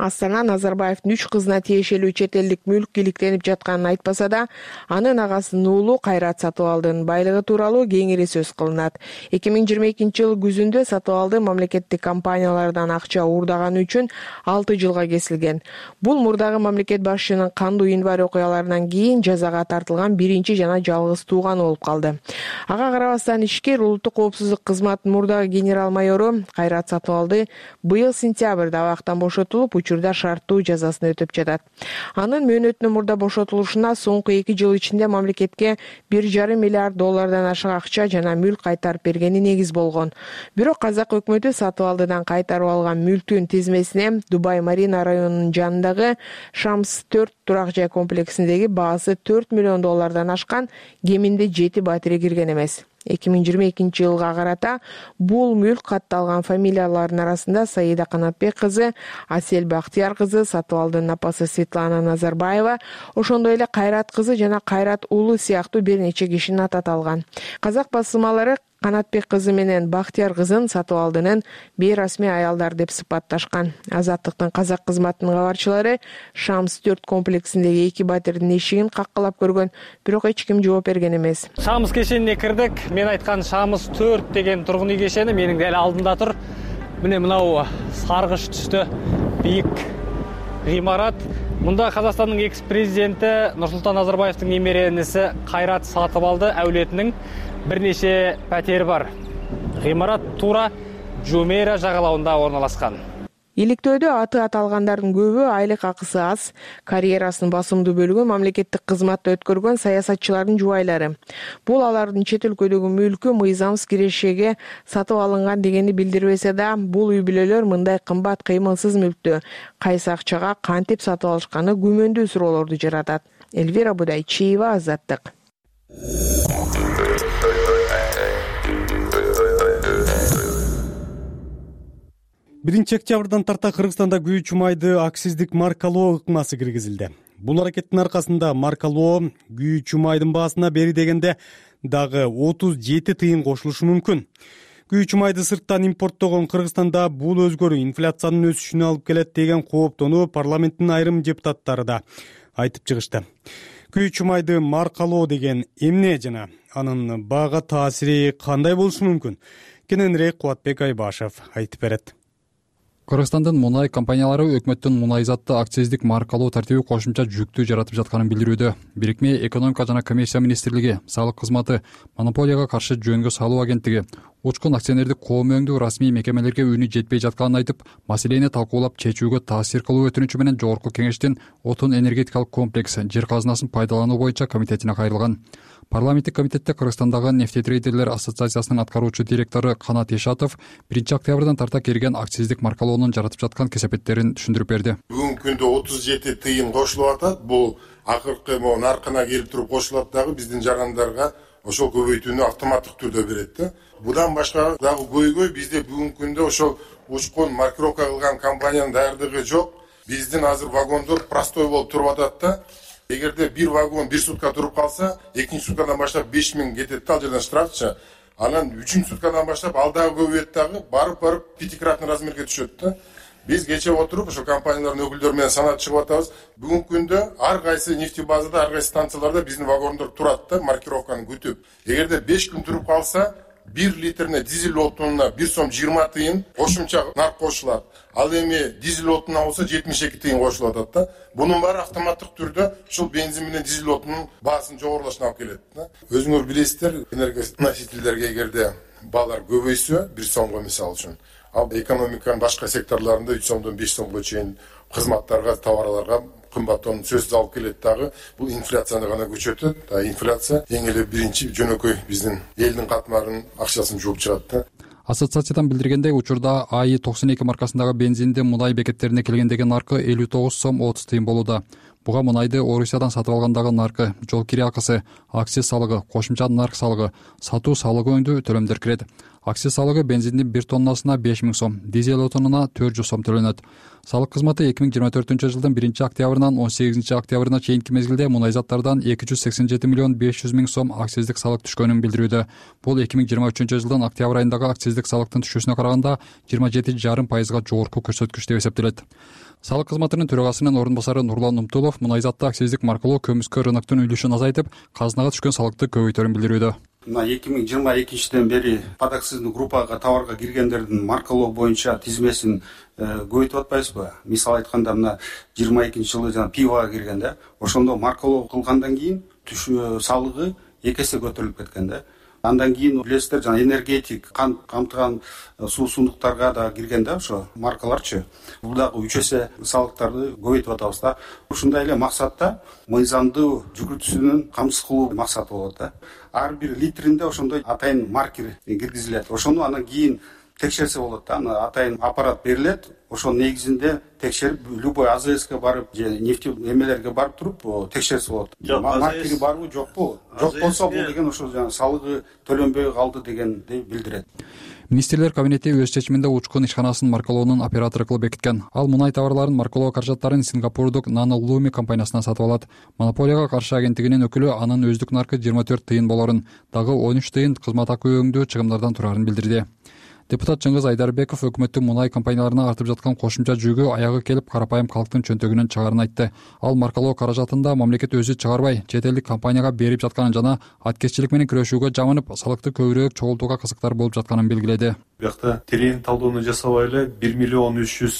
Астана Назарбаевдин үч кызына тиешелүү чет элдик мүлк иликтенип жатканын айтпаса да, анын агасынын уулу Кайрат Сатыбалдынын байлыгы тууралуу кеңири сөз кылынат. эки миң жыйырма экинчи жыл күзүндө Сатыбалды мамлекеттик компаниялардан акча уурдаганы үчүн алты жылга кесилген. Бул мурдагы мамлекет башчынын кандуу январь окуяларынан кийин жазага тартылган биринчи жана жалгыз тууганы болуп калды. Ага карабастан ишкер улуттук коопсуздук кызматынын мурдагы генерал майору Кайрат Сатыбалды быйыл сентябрда абактан бошотулуп, учурда шарттуу жазасын өтөп жатат. Анын мөөнөтүнүн мурда бошотулушуна соңку эки жыл ичинде мамлекетке бир жарым миллиард доллардан ашык акча жана мүлк кайтарып бергени негиз болгон. Бирок казак өкмөтү Сатыбалдыдан кайтарып алган мүлктүн тизмесине Дубай Марина районунун жанындагы Шамс төрт турак жай комплексиндеги баасы төрт миллион доллардан ашкан кеминде жети батире кирген эмес. эки миң жыйырма экинчи жылга карата бул мүлк катталган фамилиялардын арасында Саида Канатбек кызы, Асель Бактияр кызы, Сатыбалдынын апасы Светлана Назарбаева, ошондой эле Кайрат кызы жана Кайрат уулу сыяктуу бир нече кишинин аты аталган. Казак басылмалары Канатбек кызы менен Бактияр кызын Сатыбалдынын бейрасмий аялдар деп сыпатташкан. Азаттыктын казак кызматынын кабарчылары Шамс төрт комплексиндеги эки батирдин эшигин каккылап көргөн, бирок эч ким жооп берген эмес.
Шамс кешенине кирдик. Мен айткан Шамс төрт деген тургун үй кешени менин дел алдымда тур. Міне мынау саргыш түстө бийик гыймарат. Мында Казакстандын экс-президенти Нурсултан Назарбаевдин немерениси Кайрат Сатыбалды әулетинин бир нече пәтери бар. Гыймарат туура Жумейра жагалауында орналашкан.
Иликтөөдө аты аталгандардын көбү айлык акысы аз, карьерасынын басымдуу бөлүгү мамлекеттик кызматта өткөргөн саясатчылардын жубайлары. Бул алардын чет өлкөдөгү мүлкү мыйзамсыз кирешеге сатып алынган дегени билдирбесе да, бул үй бүлөлөр мындай кымбат кыймылсыз мүлктү кайсы акчага кантип сатып алышканы күмөндүү суроолорду жаратат. Эльвира Будайчиева, Азаттык.
биринчи октябрдан тарта Кыргызстанда күйүүчү майды акциздик маркалоо ыкмасы киргизилди. Бул аракеттин аркасында маркалоо күйүүчү майдын баасына бери дегенде дагы отуз жети тыйын кошулушу мүмкүн. Күйүүчү майды сырттан импорттогон Кыргызстанда бул өзгөрүү инфляциянын өсүшүнө алып келет деген кооптоону парламенттин айрым депутаттары да айтып чыгышты. Күйүүчү майды маркалоо деген эмне жана анын баага таасири кандай болушу мүмкүн? Кененирээк Кубатбек Айбашев айтып берет.
Кыргызстандын мунай компаниялары өкмөттүн мунай затты акциздик маркалоо тартиби кошумча жүктү жаратып жатканын билдирүүдө. Бирикме экономика жана коммерция министрлиги, салык кызматы, монополияга каршы жөнгө салуу агенттиги, учкун акционердик коом өңдүү расмий мекемелерге үнү жетпей жатканын айтып, маселени талкуулап чечүүгө таасир кылуу өтүнүчү менен жогорку кеңештин отун энергетикалык комплекс жер казынасын пайдалануу боюнча комитетине кайрылган. Парламенттик комитетте Кыргызстандагы нефтетрейдерлер ассоциациясынын аткаруучу директору Канат Ешатов биринчи октябрдан тарта кирген акциздик маркалоонун жаратып жаткан кесепеттерин түшүндүрүп берди.
Бүгүнкү күндө отуз жети тыйын кошулуп атат. Бул акыркы могу наркына келип туруп кошулат дагы биздин жарандарга ошол көбөйтүүнү автоматтык түрдө берет да. Будан башка дагы көйгөй бизде бүгүнкү күндө ошол учкун маркировка кылган компаниянын даярдыгы жок. Биздин азыр вагондор простой болуп туруп атат да. Эгерде бир вагон бир сутка туруп калса, экинчи суткадан баштап беш миң кетет да, ал жерден штрафчы. Анан үчүнчү суткадан баштап ал дагы көбөйөт дагы, барып барып пятикратный размерге түшөт да. Биз кече отуруп ошо компаниялардын өкүлдөрү менен санап чыгып атабыз. Бүгүнкү күндө ар кайсы нефтебазада, ар кайсы станцияларда биздин вагондор турат да, маркировканы күтүп. Эгерде беш күн туруп калса, бир литрине дизель отунуна бир сом жыйырма тыйын кошумча нарк кошулат. Ал эми дизель отунуна болсо жетимиш эки тыйын кошулуп атат да. Бунун баары автоматтык түрдө ушул бензин менен дизель отунун баасын жогорулашына алып келет да. Өзүңөр билесиздер, энергоносительдерге эгерде баалар көбөйсө, бир сомго мисалы үчүн, ал экономиканын башка секторлорунда үч сомдон беш сомго чейин кызматтарга, товарларга кымбаттоонун сөзсүз алып келет дагы. Бул инфляцияны гана күчөтөт. А инфляция эң эле биринчи жөнөкөй биздин элдин катмарынын акчасын жууп чыгат да.
Ассоциациядан билдиргендей, учурда АИ токсон эки маркасындагы бензиндин мунай бекеттерине келгендеги наркы элүү тогуз сом отуз тыйын болууда. Буга мунайды Орусиядан сатып алгандагы наркы, жол кире акысы, акциз салыгы, кошумча нарк салыгы, сатуу салыгы өңдүү төлөмдөр кирет. акциз салыгы бензиндин бир тоннасына беш миң сом, дизель отунуна төрт жүз сом төлөнөт. Салык кызматы эки миң жыйырма төртүнчү жылдын биринчи октябрынан он сегизинчи октябрына чейинки мезгилде мунай заттардан эки жүз сексен жети миллион беш жүз миң сом акциздик салык түшкөнүн билдирүүдө. Бул эки миң жыйырма үчүнчү жылдын октябрь айындагы акциздик салыктын түшүүсүнө караганда жыйырма жети жарым пайызга жогорку көрсөткүч деп эсептелет. Салык кызматынын төрагасынын орун басары Нурлан Умтулов мунай заты акциздик маркалоо көмүскө рыноктун үлүшүн азайтып, казынага түшкөн салыкты көбөйтөрүн билдирүүдө.
Мына эки миң жыйырма экинчиден бери подакцизный группага товарга киргендердин маркалоо боюнча тизмесин көбөйтүп атпайбызбы? Мисалы айтканда мына жыйырма экинчи жылы жана пивога киргенде, ошондо маркалоо кылгандан кийин түшүү салыгы эки эсе көтөрүлүп кеткен да. Андан кийин билесиздер, жана энергетик кант камтыган суу сундуктарга да киргенде ошо маркаларчы. Бул дагы үч эсе салыктарды көбөйтүп атабыз да. Ушундай эле максатта мыйзамдуу жүгүртүүсүнүн камсыз кылуу максаты болот да. Ар бир литринде ошондой атайын маркер киргизилет. Ошону анан кийин текшерсе болот да. Аны атайын аппарат берилет. Ошонун негизинде текшерип, любой А З Ске барып же нефть эмелерге барып туруп текшерсе болот. Маркери барбы, жокпу? Жок болсо бул деген ошо салыгы төлөнбөй калды дегенди билдирет.
Министрлер кабинети өз чечиминде учкун ишканасын маркалоонун оператору кылып бекиткен. Ал мунай товарларын маркалоо каражаттарын сингапурдук Nano Lumi компаниясынан сатып алат. Монополияга каршы агенттигинин өкүлү анын өздүк наркы жыйырма төрт тыйын болорун, дагы он үч тыйын кызмат акы өңдүү чыгымдардан турарын билдирди. Депутат Чыңгыз Айдарбеков өкмөттүн мунай компанияларына артып жаткан кошумча жүгү аягы келип карапайым калктын чөнтөгүнөн чыгаарын айтты. Ал маркалоо каражатында мамлекет өзү чыгарбай, чет элдик компанияга берип жатканын жана аткезчилик менен күрөшүүгө жамынып, салыкты көбүрөөк чогултууга кызыктар болуп жатканын белгиледи.
Биякта терең талдоону жасабай эле бир миллион үч жүз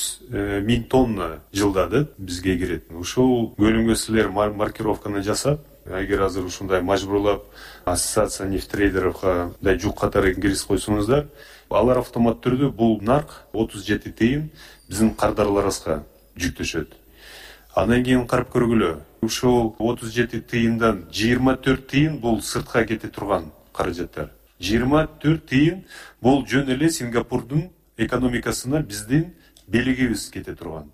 миң тонна жылда бизге кирет. Ушул бөлүмгө силер маркировканы жасап, эгер азыр ушундай мажбурлап ассоциация нефтрейдеровго да жук катары киргизип койсоңуздар, алар автомат түрдө бул нарк отуз жети тыйын биздин кардарларыбызга жүктөшөт. Андан кийин карап көргүлө, ушул отуз жети тыйындан жыйырма төрт тыйын бул сыртка кете турган каражаттар. жыйырма төрт тыйын бул жөн эле Сингапурдун экономикасына биздин белегибиз кете турган.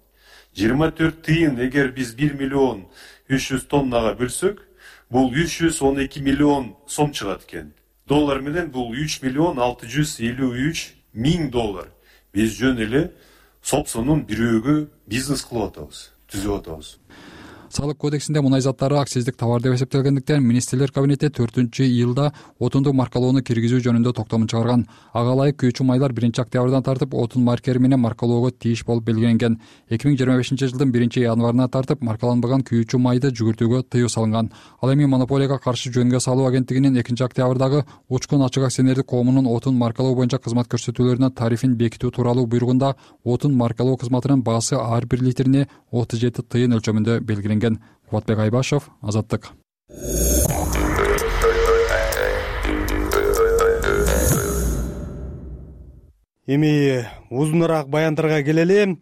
жыйырма төрт тыйын эгер биз бир миллион үч жүз тоннага бөлсөк, бул үч жүз он эки миллион сом чыгат экен. Доллар менен бул үч миллион алты жүз элүү үч миң доллар. Биз жөн эле сопсонун бирөөгө бизнес кылып атабыз, түзүп атабыз.
Салык кодексинде мунай заттары акциздик товар деп эсептелгендиктен министрлер кабинети төртүнчү июлда отунду маркалоону киргизүү жөнүндө токтомун чыгарган. Ага ылайык күйүүчү майлар биринчи октябрдан тартып отун маркери менен маркалоого тийиш болуп белгиленген. эки миң жыйырма бешинчи жылдын биринчи январына тартып маркаланбаган күйүүчү майды жүгүртүүгө тыюу салынган. Ал эми монополияга каршы жөнгө салуу агенттигинин экинчи октябрдагы учкун ачык акционердик коомунун отун маркалоо боюнча кызмат көрсөтүүлөрүнө тарифин бекитүү тууралуу буйругунда отун маркалоо кызматынын баасы ар бир литрине отуз жети тыйын өлчөмүндө белгиленген. Кубатбек Айбашев, Азаттык.
Эми узунараак баяндарга келели.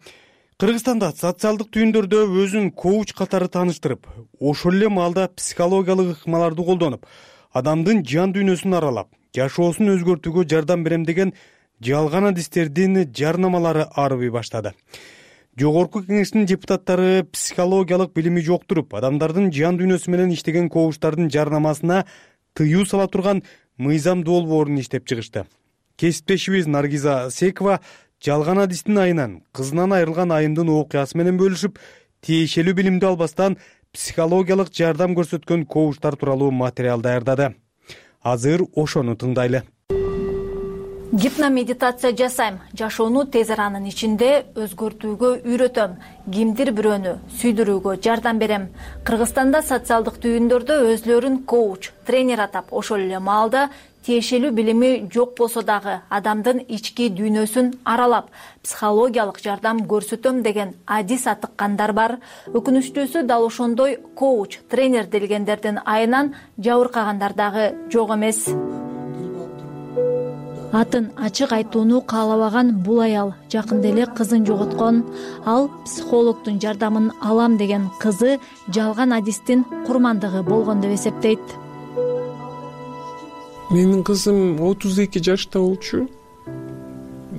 Кыргызстанда социалдык түйүндөрдө өзүн коуч катары тааныштырып, ошол эле маалда психологиялык ыкмаларды колдонуп, адамдын жан дүйнөсүн аралап, жашоосун өзгөртүүгө жардам берем деген жалган адистердин жарнамалары арыбый баштады. Жогорку кеңештин депутаттары психологиялык билими жоктуруп, адамдардын жан дүйнөсү менен иштеген коучтардын жарнамасына тыюу сала турган мыйзам долбоорун иштеп чыгышты. Кесиптешибиз Наргиза Секова жалган адистин айынан кызынан айрылган айымдын окуясы менен бөлүшүп, тиешелүү билимди албастан психологиялык жардам көрсөткөн коучтар тууралуу материал даярдады. Азыр ошону тыңдайлы.
Гипномедитация жасайм, жашоону тез аранын ичинде өзгөртүүгө үйрөтөм, кимдир бирөөнү сүйдүрүүгө жардам берем. Кыргызстанда социалдык түйүндөрдө өзлөрүн коуч, тренер атап, ошол эле маалда тиешелүү билими жок болсо дагы адамдын ички дүйнөсүн аралап, психологиялык жардам көрсөтөм деген адис атыккандар бар. Өкүнүчтүүсү дал ошондой коуч, тренер делгендердин айынан жабыркагандар дагы жок эмес. Атын ачык айтууну каалабаган бул аял жакында эле кызын жоготкон. Ал психологдун жардамын алам деген кызы жалган адистин курмандыгы болгон деп эсептейт.
Менин кызым отуз эки жашта болчу.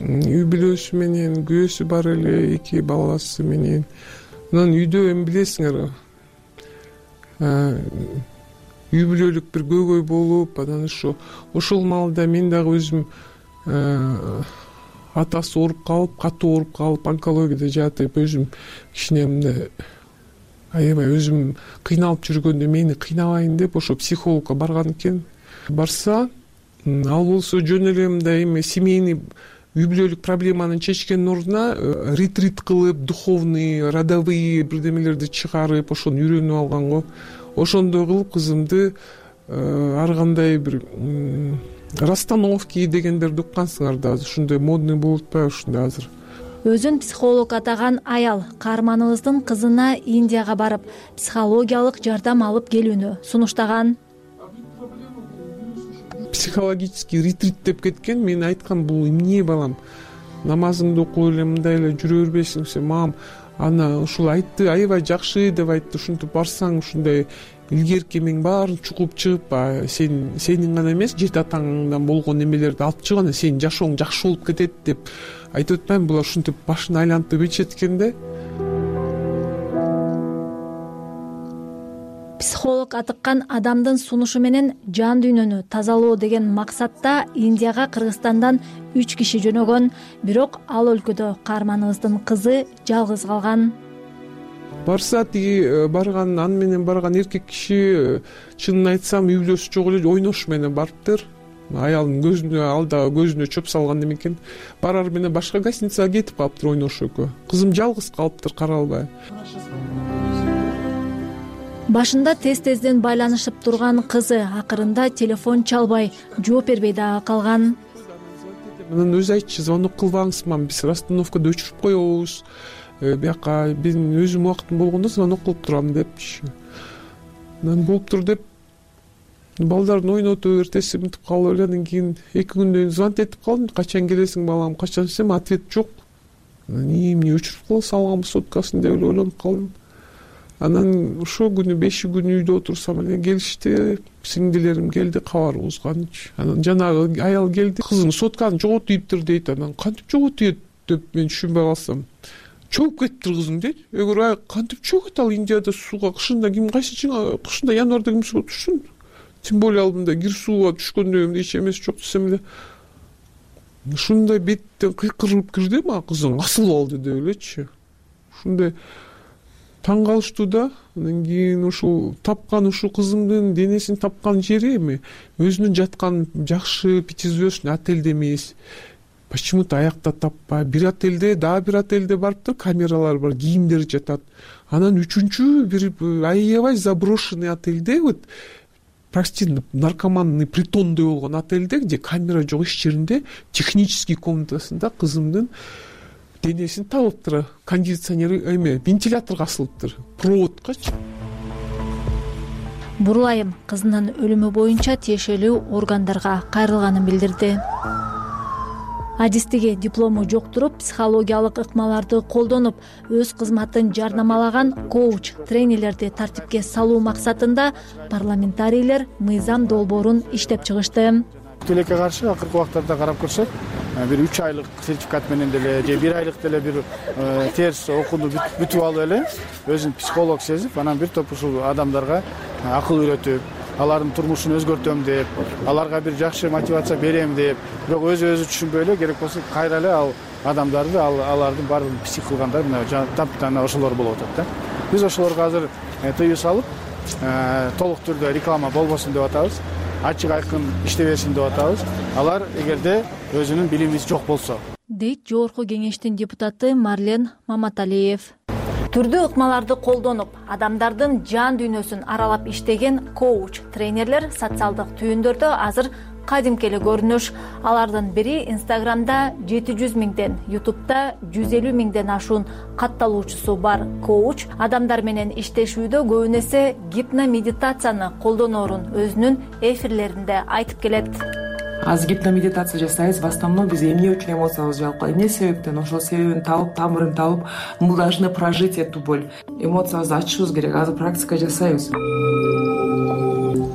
Үй бүлөсү менен, күйөөсү бар эле, эки баласы менен. Анан үйдө эми билесиңер, үй бүлөлүк бир көйгөй болуп, анан ошо ошол маалда мен дагы өзүм атасы ооруп калып, катуу ооруп калып, онкологияда жатып, өзүм кичине мындай аябай өзүм кыйналып жүргөндө мени кыйнабайын деп ошо психологко барган экен. Барса, ал болсо жөн эле мындай эме семейный үй бүлөлүк проблеманы чечкендин ордуна ретрит кылып, духовный, родовые бирдемелерди чыгарып, ошону үйрөнүп алган го. Ошондой кылып кызымды ар кандай бир расстановки дегендерди уккансыңар да, азыр ушундай модный болуп атпайбы ушундай азыр.
Өзүн психолог атаган аял каарманыбыздын кызына Индияга барып, психологиялык жардам алып келүүнү сунуштаган.
Психологический ретрит деп кеткен. Мен айткам, бул эмне балам, намазыңды окуп эле мындай эле жүрө бербейсиңби? Мам, ана ушул айтты, аябай жакшы деп айтты. Ушинтип барсаң, ушундай илгерки эмең баарын чукуп чыгып, сен сенин гана эмес, жети атаңдан болгон эмелерди алып чыгып, анан сенин жашооң жакшы болуп кетет деп айтып атпаймынбы? Булар ушинтип башын айлантып ичет экен да.
Психолог атыккан адамдын сунушу менен жан дүйнөнү тазалоо деген максатта Индияга Кыргызстандан үч киши жөнөгөн, бирок ал өлкөдө каарманыбыздын кызы жалгыз калган.
Барса, тиги барган, аны менен барган эркек киши, чынын айтсам, үй бүлөсү жок эле ойнош менен барыптыр. Аялдын көзүнө, алда көзүнө чөп салган экен. Барар менен башка гостиницага кетип калыптыр ойнош экөө. Кызым жалгыз калыптыр, кара албай.
Башында тез-тезден байланышып турган кызы акырында телефон чалбай, жооп бербей дагы калган.
Анан өзү айтчу, звонок кылбаңыз, мам, биз расстановкада өчүрүп коебуз. Бияка мен өзүм убактым болгондо звонок кылып турам депчи. Анан болуптур деп балдарын ойнотуп, эртеси мынтип калып эле, андан кийин эки күндөн кийин звонок этип калдым. Качан келесиң балам, качан десем, ответ жок. Эмне өчүрүп кала салганбы соткасын деп эле ойлонуп калдым. Анан ошол күнү беши күн үйдө отурсам эле келишти, сиңдилерим келди кабар угузганчы. Анан жанагы аял келди, кызым сотканы жоготуптур дейт. Анан кантип жоготуйт деп мен түшүнбөй калсам, чогуп кетиптир кызың дейт. Эгер ай кантип чогот, ал Индияда сууга кышында ким кайсы кышында январда ким сууга түшсүн? Тем более ал мындай кир сууга түшкөндө эч эмеси жок десем эле. Ушундай беттен кыйкырып кирди мага кызың асылып алды деп элечи. Ушундай таң калыштуу да. Андан кийин ушул тапкан ушул кызымдын денесин тапкан жери эми өзүнүн жаткан жакшы пятизвездочный отельде эмес. Почему-то аякта таппай, бир отельде, дагы бир отельде барыптыр, камералар бар, кийимдер жатат. Анан үчүнчү бир аябай заброшенный отельде, вот прости, наркоманный притондой болгон отельде, где камера жок иш жеринде, технический комнатасында кызымдын денесин табыптыр. Кондиционер эме, вентиляторго асылыптыр, проводкачы.
Бурлайым кызынын өлүмү боюнча тиешелүү органдарга кайрылганын билдирди. Адистиги диплому жок туруп, психологиялык ыкмаларды колдонуп, өз кызматын жарнамалаган коуч, тренерлерди тартипке салуу максатында парламентарийлер мыйзам долбоорун иштеп чыгышты.
Тилекке каршы акыркы убактарда карап көрсөк, бир үч айлык сертификат менен деле же бир айлык деле бир терс окууну бүтүп алып эле өзүн психолог сезип, анан бир топ ушул адамдарга акыл үйрөтүп, алардын турмушун өзгөртөм деп, аларга бир жакшы мотивация берем деп, бирок өзү өзү түшүнбөй эле керек болсо кайра эле ал адамдарды, алардын баардыгын псих кылгандар мына таптана ошолор болуп атат да. Биз ошолорго азыр тыюу салып, толук түрдө реклама болбосун деп атабыз, ачык айкын иштебесин деп атабыз. Алар эгерде өзүнүн билими жок болсо,
дейт жогорку кеңештин депутаты Марлен Маматалиев. Түрдүү ыкмаларды колдонуп, адамдардын жан дүйнөсүн аралап иштеген коуч, тренерлер социалдык түйүндөрдө азыр кадимки эле көрүнүш. Алардын бири Инстаграмда жети жүз миңден, Ютубта жүз элүү миңден ашуун катталуучусу бар коуч адамдар менен иштешүүдө көбүн эсе гипномедитацияны колдоноорун өзүнүн эфирлеринде айтып келет.
Азыр гипномедитация жасайбыз, в основном биз эмне үчүн эмоциябызды жаап коебуз, эмне себептен, ошол себебин табып, тамырын табып, мы должны прожить эту боль. Эмоциябызды ачышыбыз керек, азыр практика жасайбыз.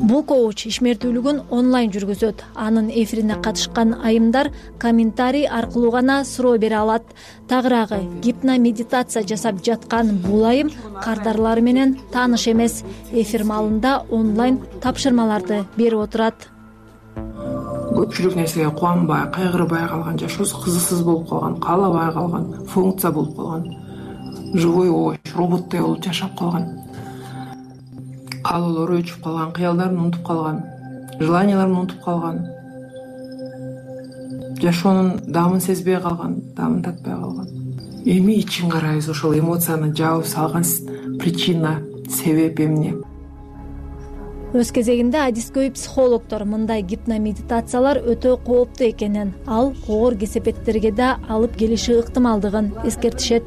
Бул коуч ишмердүүлүгүн онлайн жүргүзөт. Анын эфирине катышкан айымдар комментарий аркылуу гана суроо бере алат. Тагыраагы гипномедитация жасап жаткан бул айым кардарлары менен тааныш эмес. Эфир маалында онлайн тапшырмаларды берип отурат.
көпчүлүк нерсеге кубанбай, кайгырбай калган, жашоосу кызыксыз болуп калган, каалабай калган, функция болуп калган, живой овощ, роботтой болуп жашап калган, каалоолору өчүп калган, кыялдарын унутуп калган, желанияларын унутуп калган, жашоонун даамын сезбей калган, даамын татпай калган. Эми ичин карайбыз, ошол эмоцияны жаап салган причина, себеп эмне?
Өз кезегинде адискөй психологдор мындай гипномедитациялар өтө кооптуу экенин, ал оор кесепеттерге да алып келиши ыктымалдыгын эскертишет.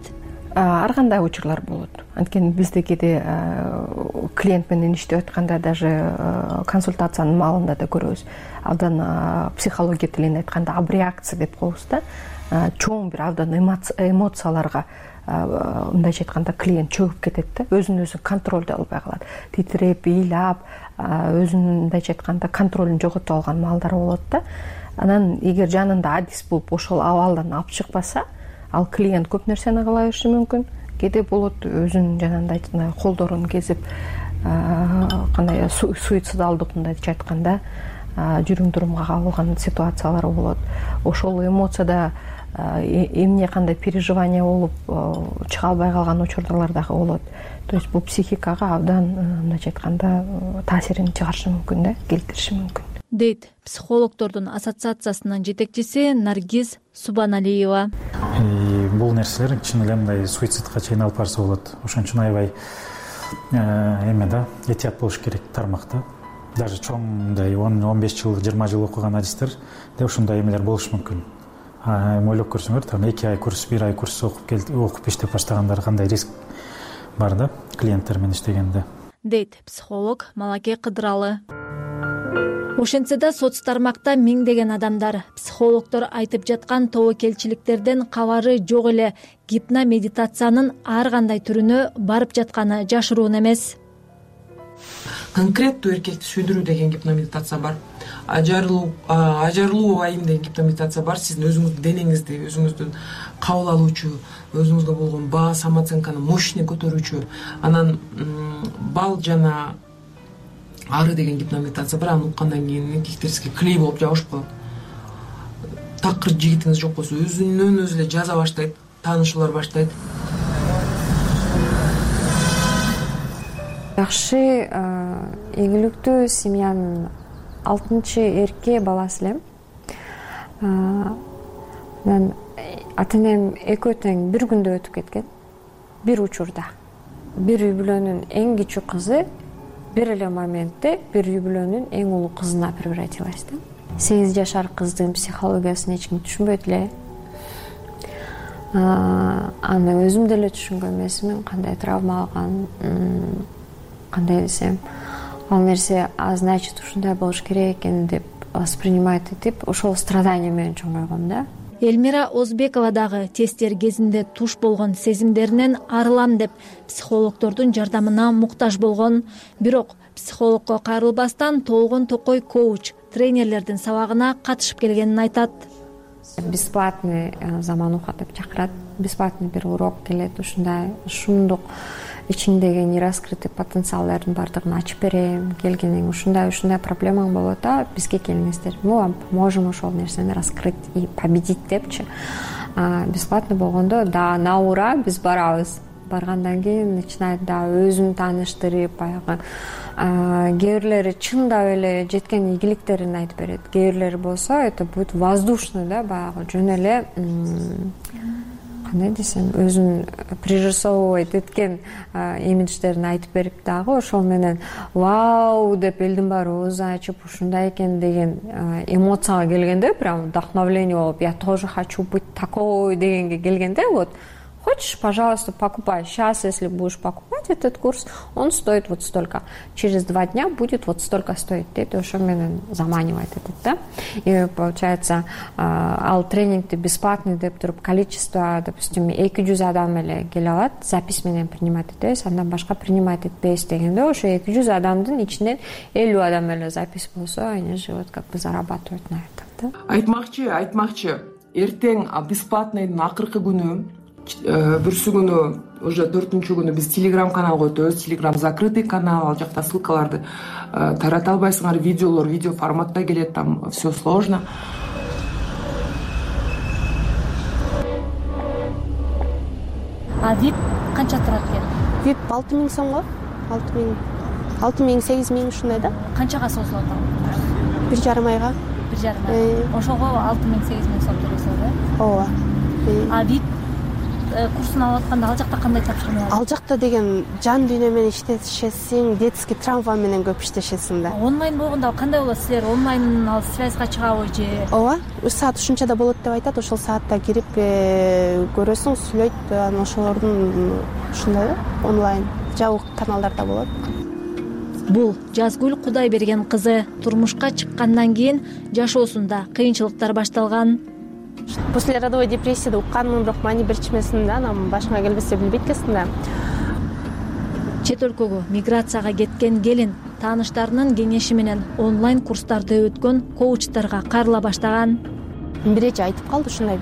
Ар кандай учурлар болот. Анткени бизде кээде клиент менен иштеп атканда даже консультациянын маалында да көрөбүз. Абдан психология тилинде айтканда абреакция деп коебуз да. Чоң бир абдан эмоцияларга мындайча айтканда клиент чөгүп кетет да, өзүн өзү контролдой албай калат, титиреп, ыйлап, өзүн мындайча айтканда контролун жоготуп алган маалдар болот да. Анан эгер жанында адис болуп ошол абалдан алып чыкпаса, ал клиент көп нерсени кыла бериши мүмкүн. Кээде болот өзүнүн жанагындай колдорун кезип, кандай суицидалдык мындайча айтканда жүрүм турумга кабылган ситуациялар болот. Ошол эмоцияда эмне кандай переживание болуп чыга албай калган учурлар дагы болот. То есть бул психикага абдан мындайча айтканда таасирин чыгарышы мүмкүн да, келтириши мүмкүн.
Дейт психологдордун ассоциациясынын жетекчиси Наргиз Субаналиева.
Бул нерселер чын эле мындай суицидка чейин алып барса болот. Ошон үчүн аябай эме да, этият болуш керек тармакта. Даже чоң мындай он беш жыл, жыйырма жыл окуган адистер да ушундай эмелер болушу мүмкүн. Ойлоп көрсөңөр, там эки ай курс, бир ай курс окуп келип, окуп иштеп баштагандар кандай риск бар да клиенттер менен иштегенде.
Дейт психолог Малаке Кыдыралы. Ошентсе да соц тармакта миңдеген адамдар психологдор айтып жаткан тобокелчиликтерден кабары жок эле. Гипномедитациянын ар кандай түрүнө барып жатканы жашыруун эмес.
Конкреттүү эркекти сүйдүрүү деген гипномедитация бар. Ажарылуу, ажарылуу айым деген гипномедитация бар. Сиздин өзүңүздүн денеңизди, өзүңүздүн кабыл алуучу, өзүңүзгө болгон баа, самооценканы мощный көтөрүүчү. Анан бал жана ары деген гипномедитация бар. Аны уккандан кийин эркектерибизге клей болуп жабышып калат. Такыр жигитиңиз жок болсо өзүнөн өзү эле жаза баштайт, таанышуулар баштайт.
Жакшы, ийгиликтүү семьянын алтынчы эрке баласы элем. Мен ата-энем экөө тең бир күндө өтүп кеткен. Бир учурда. Бир үй бүлөнүн эң кичүү кызы бир эле моментте бир үй бүлөнүн эң улуу кызына превратилась да. сегиз жашар кыздын психологиясын эч ким түшүнбөйт эле. Аны өзүм деле түшүнгөн эмесмин, кандай травма алган, кандай десем, ал нерсе а значит ушундай болуш керек экен деп воспринимать этип, ошол страдание менен чоңойгом да.
Элмира Озбекова дагы тесттер кезинде туш болгон сезимдеринен арылам деп психологдордун жардамына муктаж болгон. Бирок психологко кайрылбастан Толгон Токой коуч тренерлердин сабагына катышып келгенин айтат.
Бесплатный замануха деп чакырат. Бесплатный бир урок келет, ушундай шундук ичиңдеги нераскрытый потенциалдардын бардыгын ачып берем. Келгениң ушундай ушундай проблемаң болот да, бизге келиңиздер. Мы вам поможем ошол нерсени раскрыть и победить депчи. Бесплатный болгондо да на ура биз барабыз. Баргандан кийин начинает да өзүн тааныштырып, баягы кээ бирлери чындап эле жеткен ийгиликтерин айтып берет. Кээ бирлери болсо это будет воздушный да, баягы жөн эле кандай десем, өзүн пририсовывать эткен имидждерин айтып берип дагы ошол менен вау деп элдин баары оозун ачып ушундай экен деген эмоцияга келгенде, прям вдохновление болуп, я тоже хочу быть такой дегенге келгенде, вот хочешь, пожалуйста, покупай. Сейчас, если будешь покупать этот курс, он стоит вот столько. Через два дня будет вот столько стоить. Это уже меня заманивает этот, да? И получается, ал тренингти бесплатный деп туруп количество, допустим, эки жүз адам эле келе алат, запись менен принимать этебиз, андан башка принимать этпейбиз дегенде, ошо эки жүз адамдын ичинен элүү адам эле запись болсо, они же вот как бы зарабатывают на этом, да?
Айтмакчы, айтмакчы, эртең бесплатныйдын акыркы күнү бүрсү күнү уже төртүнчү күнү биз телеграм каналга өтөбүз. Телеграм закрытый канал, ал жакта ссылкаларды тарата албайсыңар, видеолор видео форматта келет, там все сложно.
А вип канча турат экен?
Вип алты миң сомго, алты миң, алты миң, сегиз миң ушундай да.
Канчага созулат ал?
Бир жарым айга.
Бир жарым ай. Ошого алты миң, сегиз миң сом төлөсөң да?
Ооба.
А вип курсун алып атканда ал жакта кандай тапшырма бар?
Ал жакта деген жан дүйнө менен иштешесиң, детский травма менен көп иштешесиң да.
Онлайн болгондо кандай болот? Силер онлайн ал связьга чыгабы же?
Ооба, үч саат ушунчада болот деп айтат. Ошол саатта кирип көрөсүң, сүйлөйт, анан ошолордун ушундай онлайн жабык каналдарда болот.
Бул Жазгүл Кудайберген кызы турмушка чыккандан кийин жашоосунда кыйынчылыктар башталган.
После родовой депрессияда укканмын, бирок мани берчимесин да, анан башыңа келбесе билбейт экенсиң да.
Чет өлкөгө миграцияга кеткен келин тааныштарынын кеңеши менен онлайн курстарды өткөн коучтарга карыла баштаган.
Бир эже айтып калды ушундай,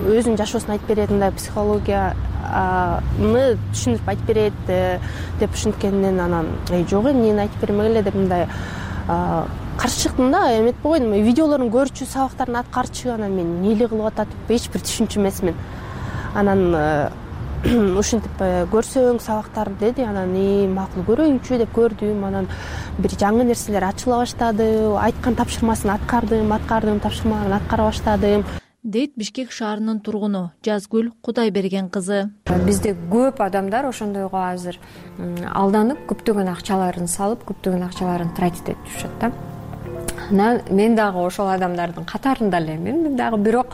өзүнүн жашоосун айтып берет, мындай психологияны түшүндүрүп айтып берет деп ушинткенинен анан жок, эмнени айтып бермегиле деп мындай каршы чыктым да, эметип койдум. Видеолорун көрчү, сабактарын аткарчу, анан мен эмне кылып атат деп эч бир түшүнчү эмесмин. Анан ушинтип көрсөң сабактарды деди, анан и макул көрөйүнчү деп көрдүм. Анан бир жаңы нерселер ачыла баштады, айткан тапшырмасын аткардым, аткардым, тапшырмаларын аткара баштадым.
Дейт Бишкек шаарынын тургуну Жазгүл Кудайберген кызы.
Бизде көп адамдар ошондойго азыр алданып, көптөгөн акчаларын салып, көптөгөн акчаларын тратить этип жүрүшөт да. Мен дагы ошол адамдардын катарында элемин. Мен дагы бирок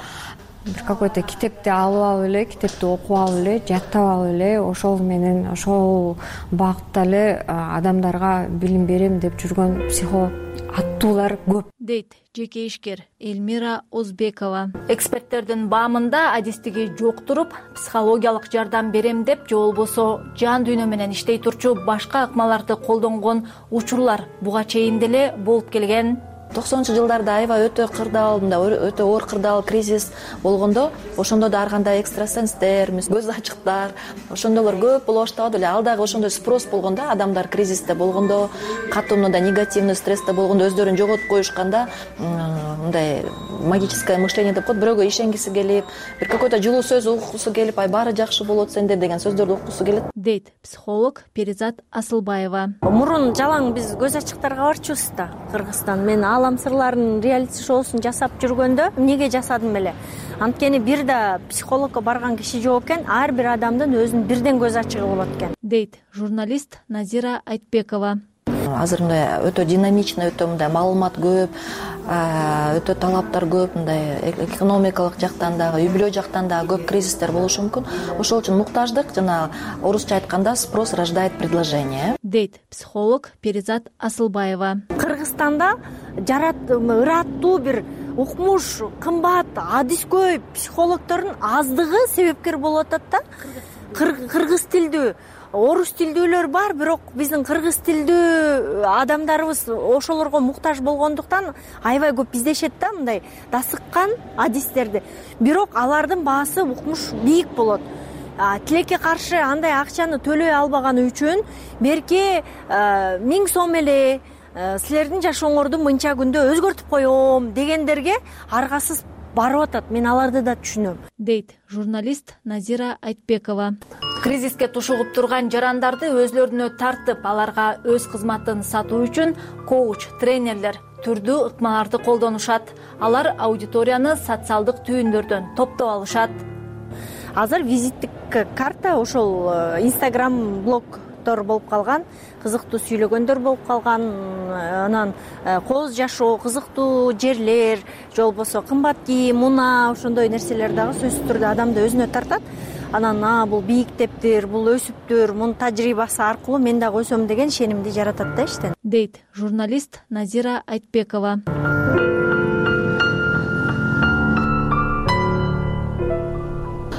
бир какой-то китепти алып алып эле, китепти окуп алып эле, жаттап алып эле, ошол менен ошол багытта эле адамдарга билим берем деп жүргөн психолог аттуулар көп.
Дейт жеке ишкер Элмира Озбекова. Эксперттердин баамында адистиги жок туруп, психологиялык жардам берем деп же болбосо жан дүйнө менен иштей турчу башка ыкмаларды колдонгон учурлар буга чейин деле болуп келген.
токсонунчу жылдарда аябай өтө кырдаал, мындай өтө оор кырдаал кризис болгондо, ошондо да ар кандай экстрасенстер, көз ачыктар, ошондойлор көп боло баштаган эле. Ал дагы ошондой спрос болгондо, адамдар кризисте болгондо, катуу мындай негативный стрессте болгондо өздөрүн жоготуп коюшканда, мындай магическое мышление деп коет, бирөөгө ишенгиси келип, бир какой-то жылуу сөз уккусу келип, ай баары жакшы болот сенде деген сөздөрдү уккусу келет.
Дейт психолог Перизат Асылбаева.
Мурун жалаң биз көз ачыктарга барчубуз да, Кыргызстан. Мен Алам сырларын реалити шоусун жасап жүргөндө эмнеге жасадым эле? Анткени бир да психологко барган киши жок экен, ар бир адамдын өзүнүн бирден көз ачыгы болот экен.
Дейт журналист Назира Айтбекова.
Азыр мындай өтө динамичный, өтө мындай маалымат көп, өтө талаптар көп, мындай экономикалык жактан дагы, үй бүлө жактан дагы көп кризистер болушу мүмкүн. Ошол үчүн муктаждык, жана орусча айтканда спрос рождает предложение.
Дейт психолог Перизат Асылбаева.
Кыргызстанда жарат ыраттуу бир укмуш, кымбат, адис көп психологдордун аздыгы себепкер болуп атат да. Кыргыз тилдүү, орус тилдүүлөр бар, бирок биздин кыргыз тилдүү адамдарыбыз ошолорго муктаж болгондуктан аябай көп издешет да, мындай дасыккан адистерди. Бирок алардын баасы укмуш бийик болот. Тилекке каршы андай акчаны төлөй албаганы үчүн берки миң сом эле силердин жашооңорду мынча күндө өзгөртүп коем дегендерге аргасыз барып атат. Мен аларды да түшүнөм.
Дейт журналист Назира Айтбекова. Кризиске тушугуп турган жарандарды өзлөрүнө тартып, аларга өз кызматын сатуу үчүн коуч, тренерлер түрдүү ыкмаларды колдонушат. Алар аудиторияны социалдык түйүндөрдөн топтоп алышат.
Азыр визиттик карта ошол Instagram блогдор болуп калган, кызыктуу сүйлөгөндөр болуп калган, анан кооз жашоо, кызыктуу жерлер, же болбосо кымбат кийим, унаа, ошондой нерселер дагы сөзсүз түрдө адамды өзүнө тартат. Анан а бул бийиктептир, бул өсүптүр, мунун тажрыйбасы аркылуу мен дагы өсөм деген ишенимди жаратат да иштен.
Дейт журналист Назира Айтбекова.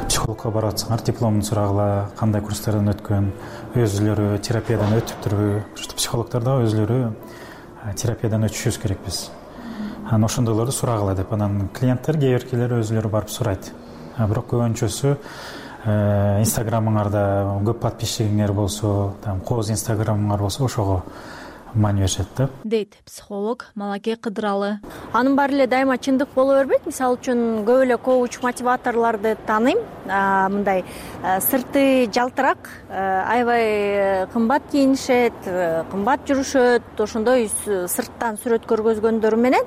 Психологко барып атсаңар, дипломун сурагыла, кандай курстардан өткөн, өзүлөрү терапиядан өтүптүрбү? Психологдор да өзүлөрү терапиядан өтүшүбүз керекпиз. Анан ошондойлорду сурагыла деп, анан клиенттер кээ биркилер өзүлөрү барып сурайт. бирок көбүнчөсү инстаграмыңарда көп подписчигиңер болсо, там кооз инстаграмыңар болсо ошого маани беришет да,
дейт психолог Малаке Кыдыралы.
Анын баары эле дайыма чындык боло бербейт. Мисалы үчүн көп эле коуч мотиваторлорду тааныйм. Мындай сырты жалтырак, аябай кымбат кийинишет, кымбат жүрүшөт, ошондой сырттан сүрөт көргөзгөндөрү менен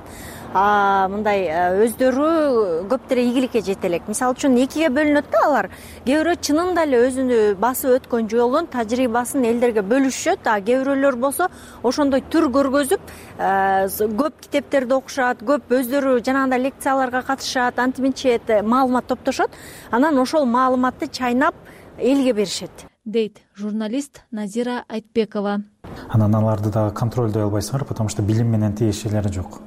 мындай өздөрү көптөр ийгиликке жете элек. Мисалы үчүн экиге бөлүнөт да алар. Кээ бирөө чынында эле өзүнү басып өткөн жолун, тажрыйбасын элдерге бөлүшөт, а кээ бирөөлөр болсо ошондой түр көргөзүп, көп китептерди окушат, көп өздөрү жанагындай лекцияларга катышат, антиминчет маалымат топтошот. Анан ошол маалыматты чайнап элге беришет,
дейт журналист Назира Айтбекова.
Анан аларды дагы контролдой албайсыңар, потому что билим менен тиешелери жок.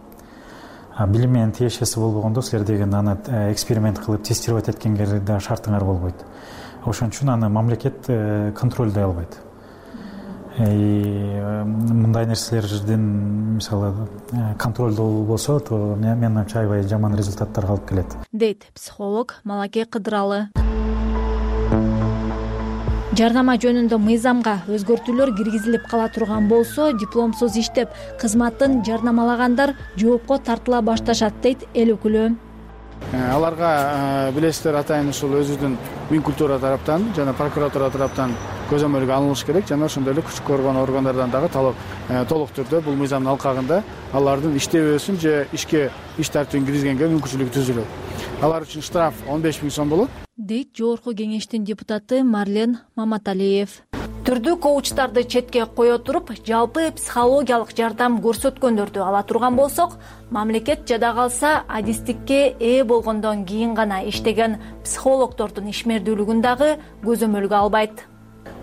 Билим менен тиешеси болбогондо силер деген аны эксперимент кылып тестировать эткенге да шартыңар болбойт. Ошон үчүн аны мамлекет контролдой албайт. Мындай нерселердин мисалы контролдоо болсо, то мен ойымча аябай жаман результаттарга алып келет,
дейт психолог Малаке Кыдыралы. Жарнама жөнүндө мыйзамга өзгөртүүлөр киргизилип кала турган болсо, дипломсуз иштеп кызматын жарнамалагандар жоопко тартыла башташат, дейт эл өкүлү.
Аларга билесиздер, атайын ушул өзүбүздүн мин культура тараптан жана прокуратура тараптан көзөмөлгө алыныш керек, жана ошондой эле күчтүү коргоо органдардан дагы талап толук түрдө бул мыйзамдын алкагында алардын иштебөөсүн же ишке иш тартибин киргизгенге мүмкүнчүлүгү түзүлөт. Алар үчүн штраф он беш миң сом болот,
дейт жогорку кеңештин депутаты Марлен Маматалиев. Түрдүү коучтарды четке кое туруп, жалпы психологиялык жардам көрсөткөндөрдү ала турган болсок, мамлекет жада калса адистикке ээ болгондон кийин гана иштеген психологдордун ишмердүүлүгүн дагы көзөмөлгө албайт.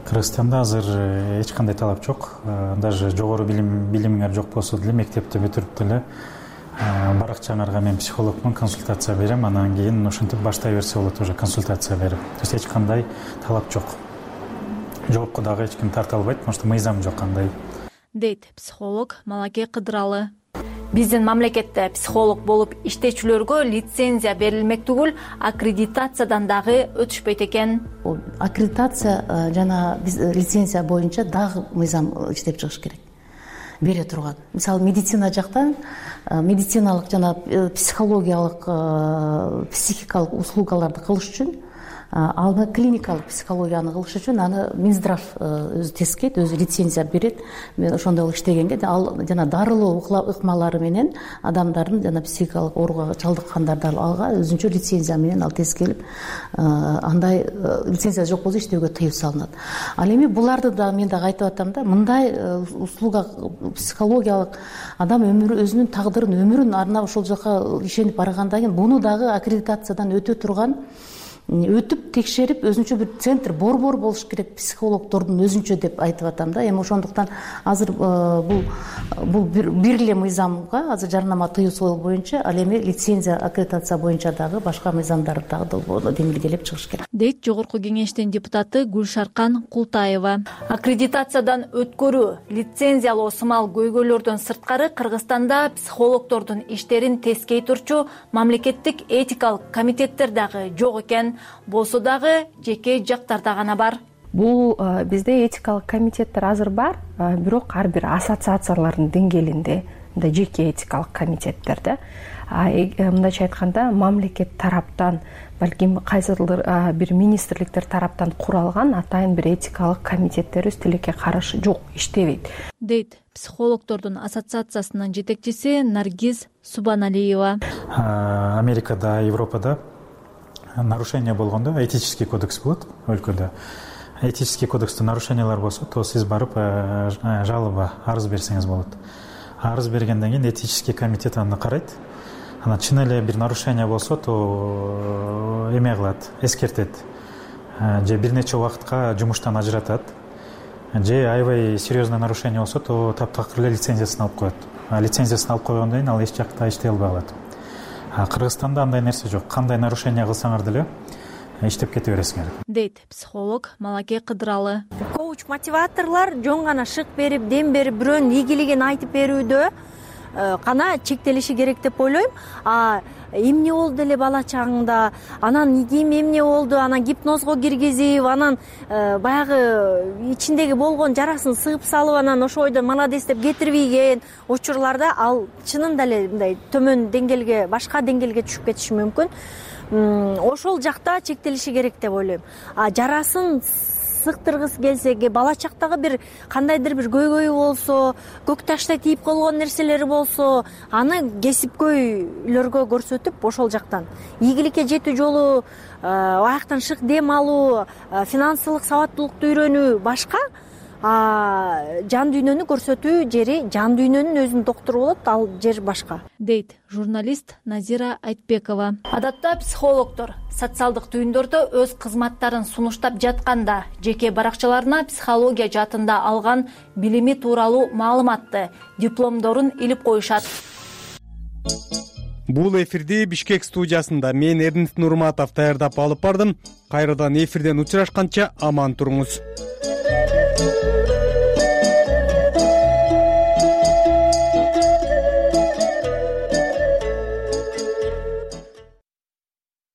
Кыргызстанда азыр эч кандай талап жок. Даже жогору билим билимиңер жок болсо деле мектепти бүтүрүп деле баракчаңарга мен психологмун, консультация берем, анан кийин ошентип баштай берсе болот уже консультация берип. То есть эч кандай талап жок. Жоопко дагы эч ким тарта албайт, потому что мыйзам жок андай,
дейт психолог Малаке Кыдыралы. Биздин мамлекетте психолог болуп иштечүлөргө лицензия берилмек түгүл, аккредитациядан дагы өтүшпөйт экен.
Аккредитация жана биз лицензия боюнча дагы мыйзам иштеп чыгыш керек, бере турган. Мисалы медицина жактан медициналык жана психологиялык, психикалык услугаларды кылыш үчүн, ал клиникалык психологияны кылыш үчүн аны Минздрав өзү тескейт, өзү лицензия берет. Мен ошондой иштегенге ал жана дарылоо ыкмалары менен адамдардын жана психикалык ооруга чалдыккандарды алга өзүнчө лицензия менен ал тескелип, андай лицензия жок болсо иштөөгө тыюу салынат. Ал эми буларды да мен дагы айтып атам да, мындай услуга психологиялык адам өмүрү, өзүнүн тагдырын, өмүрүн арнап ошол жака ишенип баргандан кийин буну дагы аккредитациядан өтө турган, өтүп текшерип өзүнчө бир центр, борбор болуш керек психологдордун өзүнчө деп айтып атам да. Эми ошондуктан азыр бул бул бир эле мыйзамга, азыр жарнама тыюусу боюнча, ал эми лицензия, аккредитация боюнча дагы башка мыйзамдар дагы демилгелеп чыгыш керек,
дейт жогорку кеңештин депутаты Гүлшаркан Култаева. Аккредитациядан өткөрүү, лицензиялоо сымал көйгөйлөрдөн сырткары Кыргызстанда психологдордун иштерин тескей турчу мамлекеттик этикалык комитеттер дагы жок экен. Болсо дагы жеке жактарда гана бар.
Бул бизде этикалык комитеттер азыр бар, бирок ар бир ассоциациялардын деңгээлинде мындай жеке этикалык комитеттер да. Мындайча айтканда, мамлекет тараптан, балким кайсыдыр бир министрликтер тараптан куралган атайын бир этикалык комитеттер өз тилекке каршы жок, иштебейт,
дейт психологдордун ассоциациясынын жетекчиси Наргиз Субаналиева.
Америкада, Европада нарушение болгондо этический кодекс болот өлкөдө. Этический кодексте нарушениялар болсо, то сиз барып жалоба, арыз берсеңиз болот. Арыз бергенден кийин этический комитет аны карайт. Анан чын эле бир нарушение болсо, то эме кылат, эскертет. Же бир нече убакытка жумуштан ажыратат. Же аябай серьезный нарушение болсо, то таптакыр эле лицензиясын алып коет. Лицензиясын алып койгондон кийин ал эч жакта иштей албай калат. Кыргызстанда андай нерсе жок. Кандай нарушение кылсаңар деле иштеп кете бересиңер,
дейт психолог Малаке Кыдыралы.
Коуч мотиваторлор жөн гана шык берип, дем берип, бирөөнүн ийгилигин айтып берүүдө гана чектелиши керек деп ойлойм. А эмне болду эле бала чагыңда, анан кийин эмне болду, анан гипнозго киргизип, анан баягы ичиндеги болгон жарасын сыгып салып, анан ошол бойдо молодец деп кетирбейген учурларда ал чынында эле мындай төмөн деңгээлге, башка деңгээлге түшүп кетиши мүмкүн. Ошол жакта чектелиши керек деп ойлойм. А жарасын сыктыргысы келсе, бала чактагы бир кандайдыр бир көйгөйү болсо, көк таштай тийип койгон нерселери болсо, аны кесипкөйлөргө көрсөтүп, ошол жактан ийгиликке жетүү жолу, аяктан шык дем алуу, финансылык сабаттуулукту үйрөнүү башка, жан дүйнөнү көрсөтүү жери, жан дүйнөнүн өзүнүн доктору болот, ал жер башка,
дейт журналист Назира Айтбекова. Адатта психологдор социалдык түйүндөрдө өз кызматтарын сунуштап жатканда жеке баракчаларына психология жаатында алган билими тууралуу маалыматты, дипломдорун илип коюшат.
Бул эфирди Бишкек студиясында мен Эрдинт Нурматов даярдап алып бардым. Кайрадан эфирден учурашканча аман туруңуз.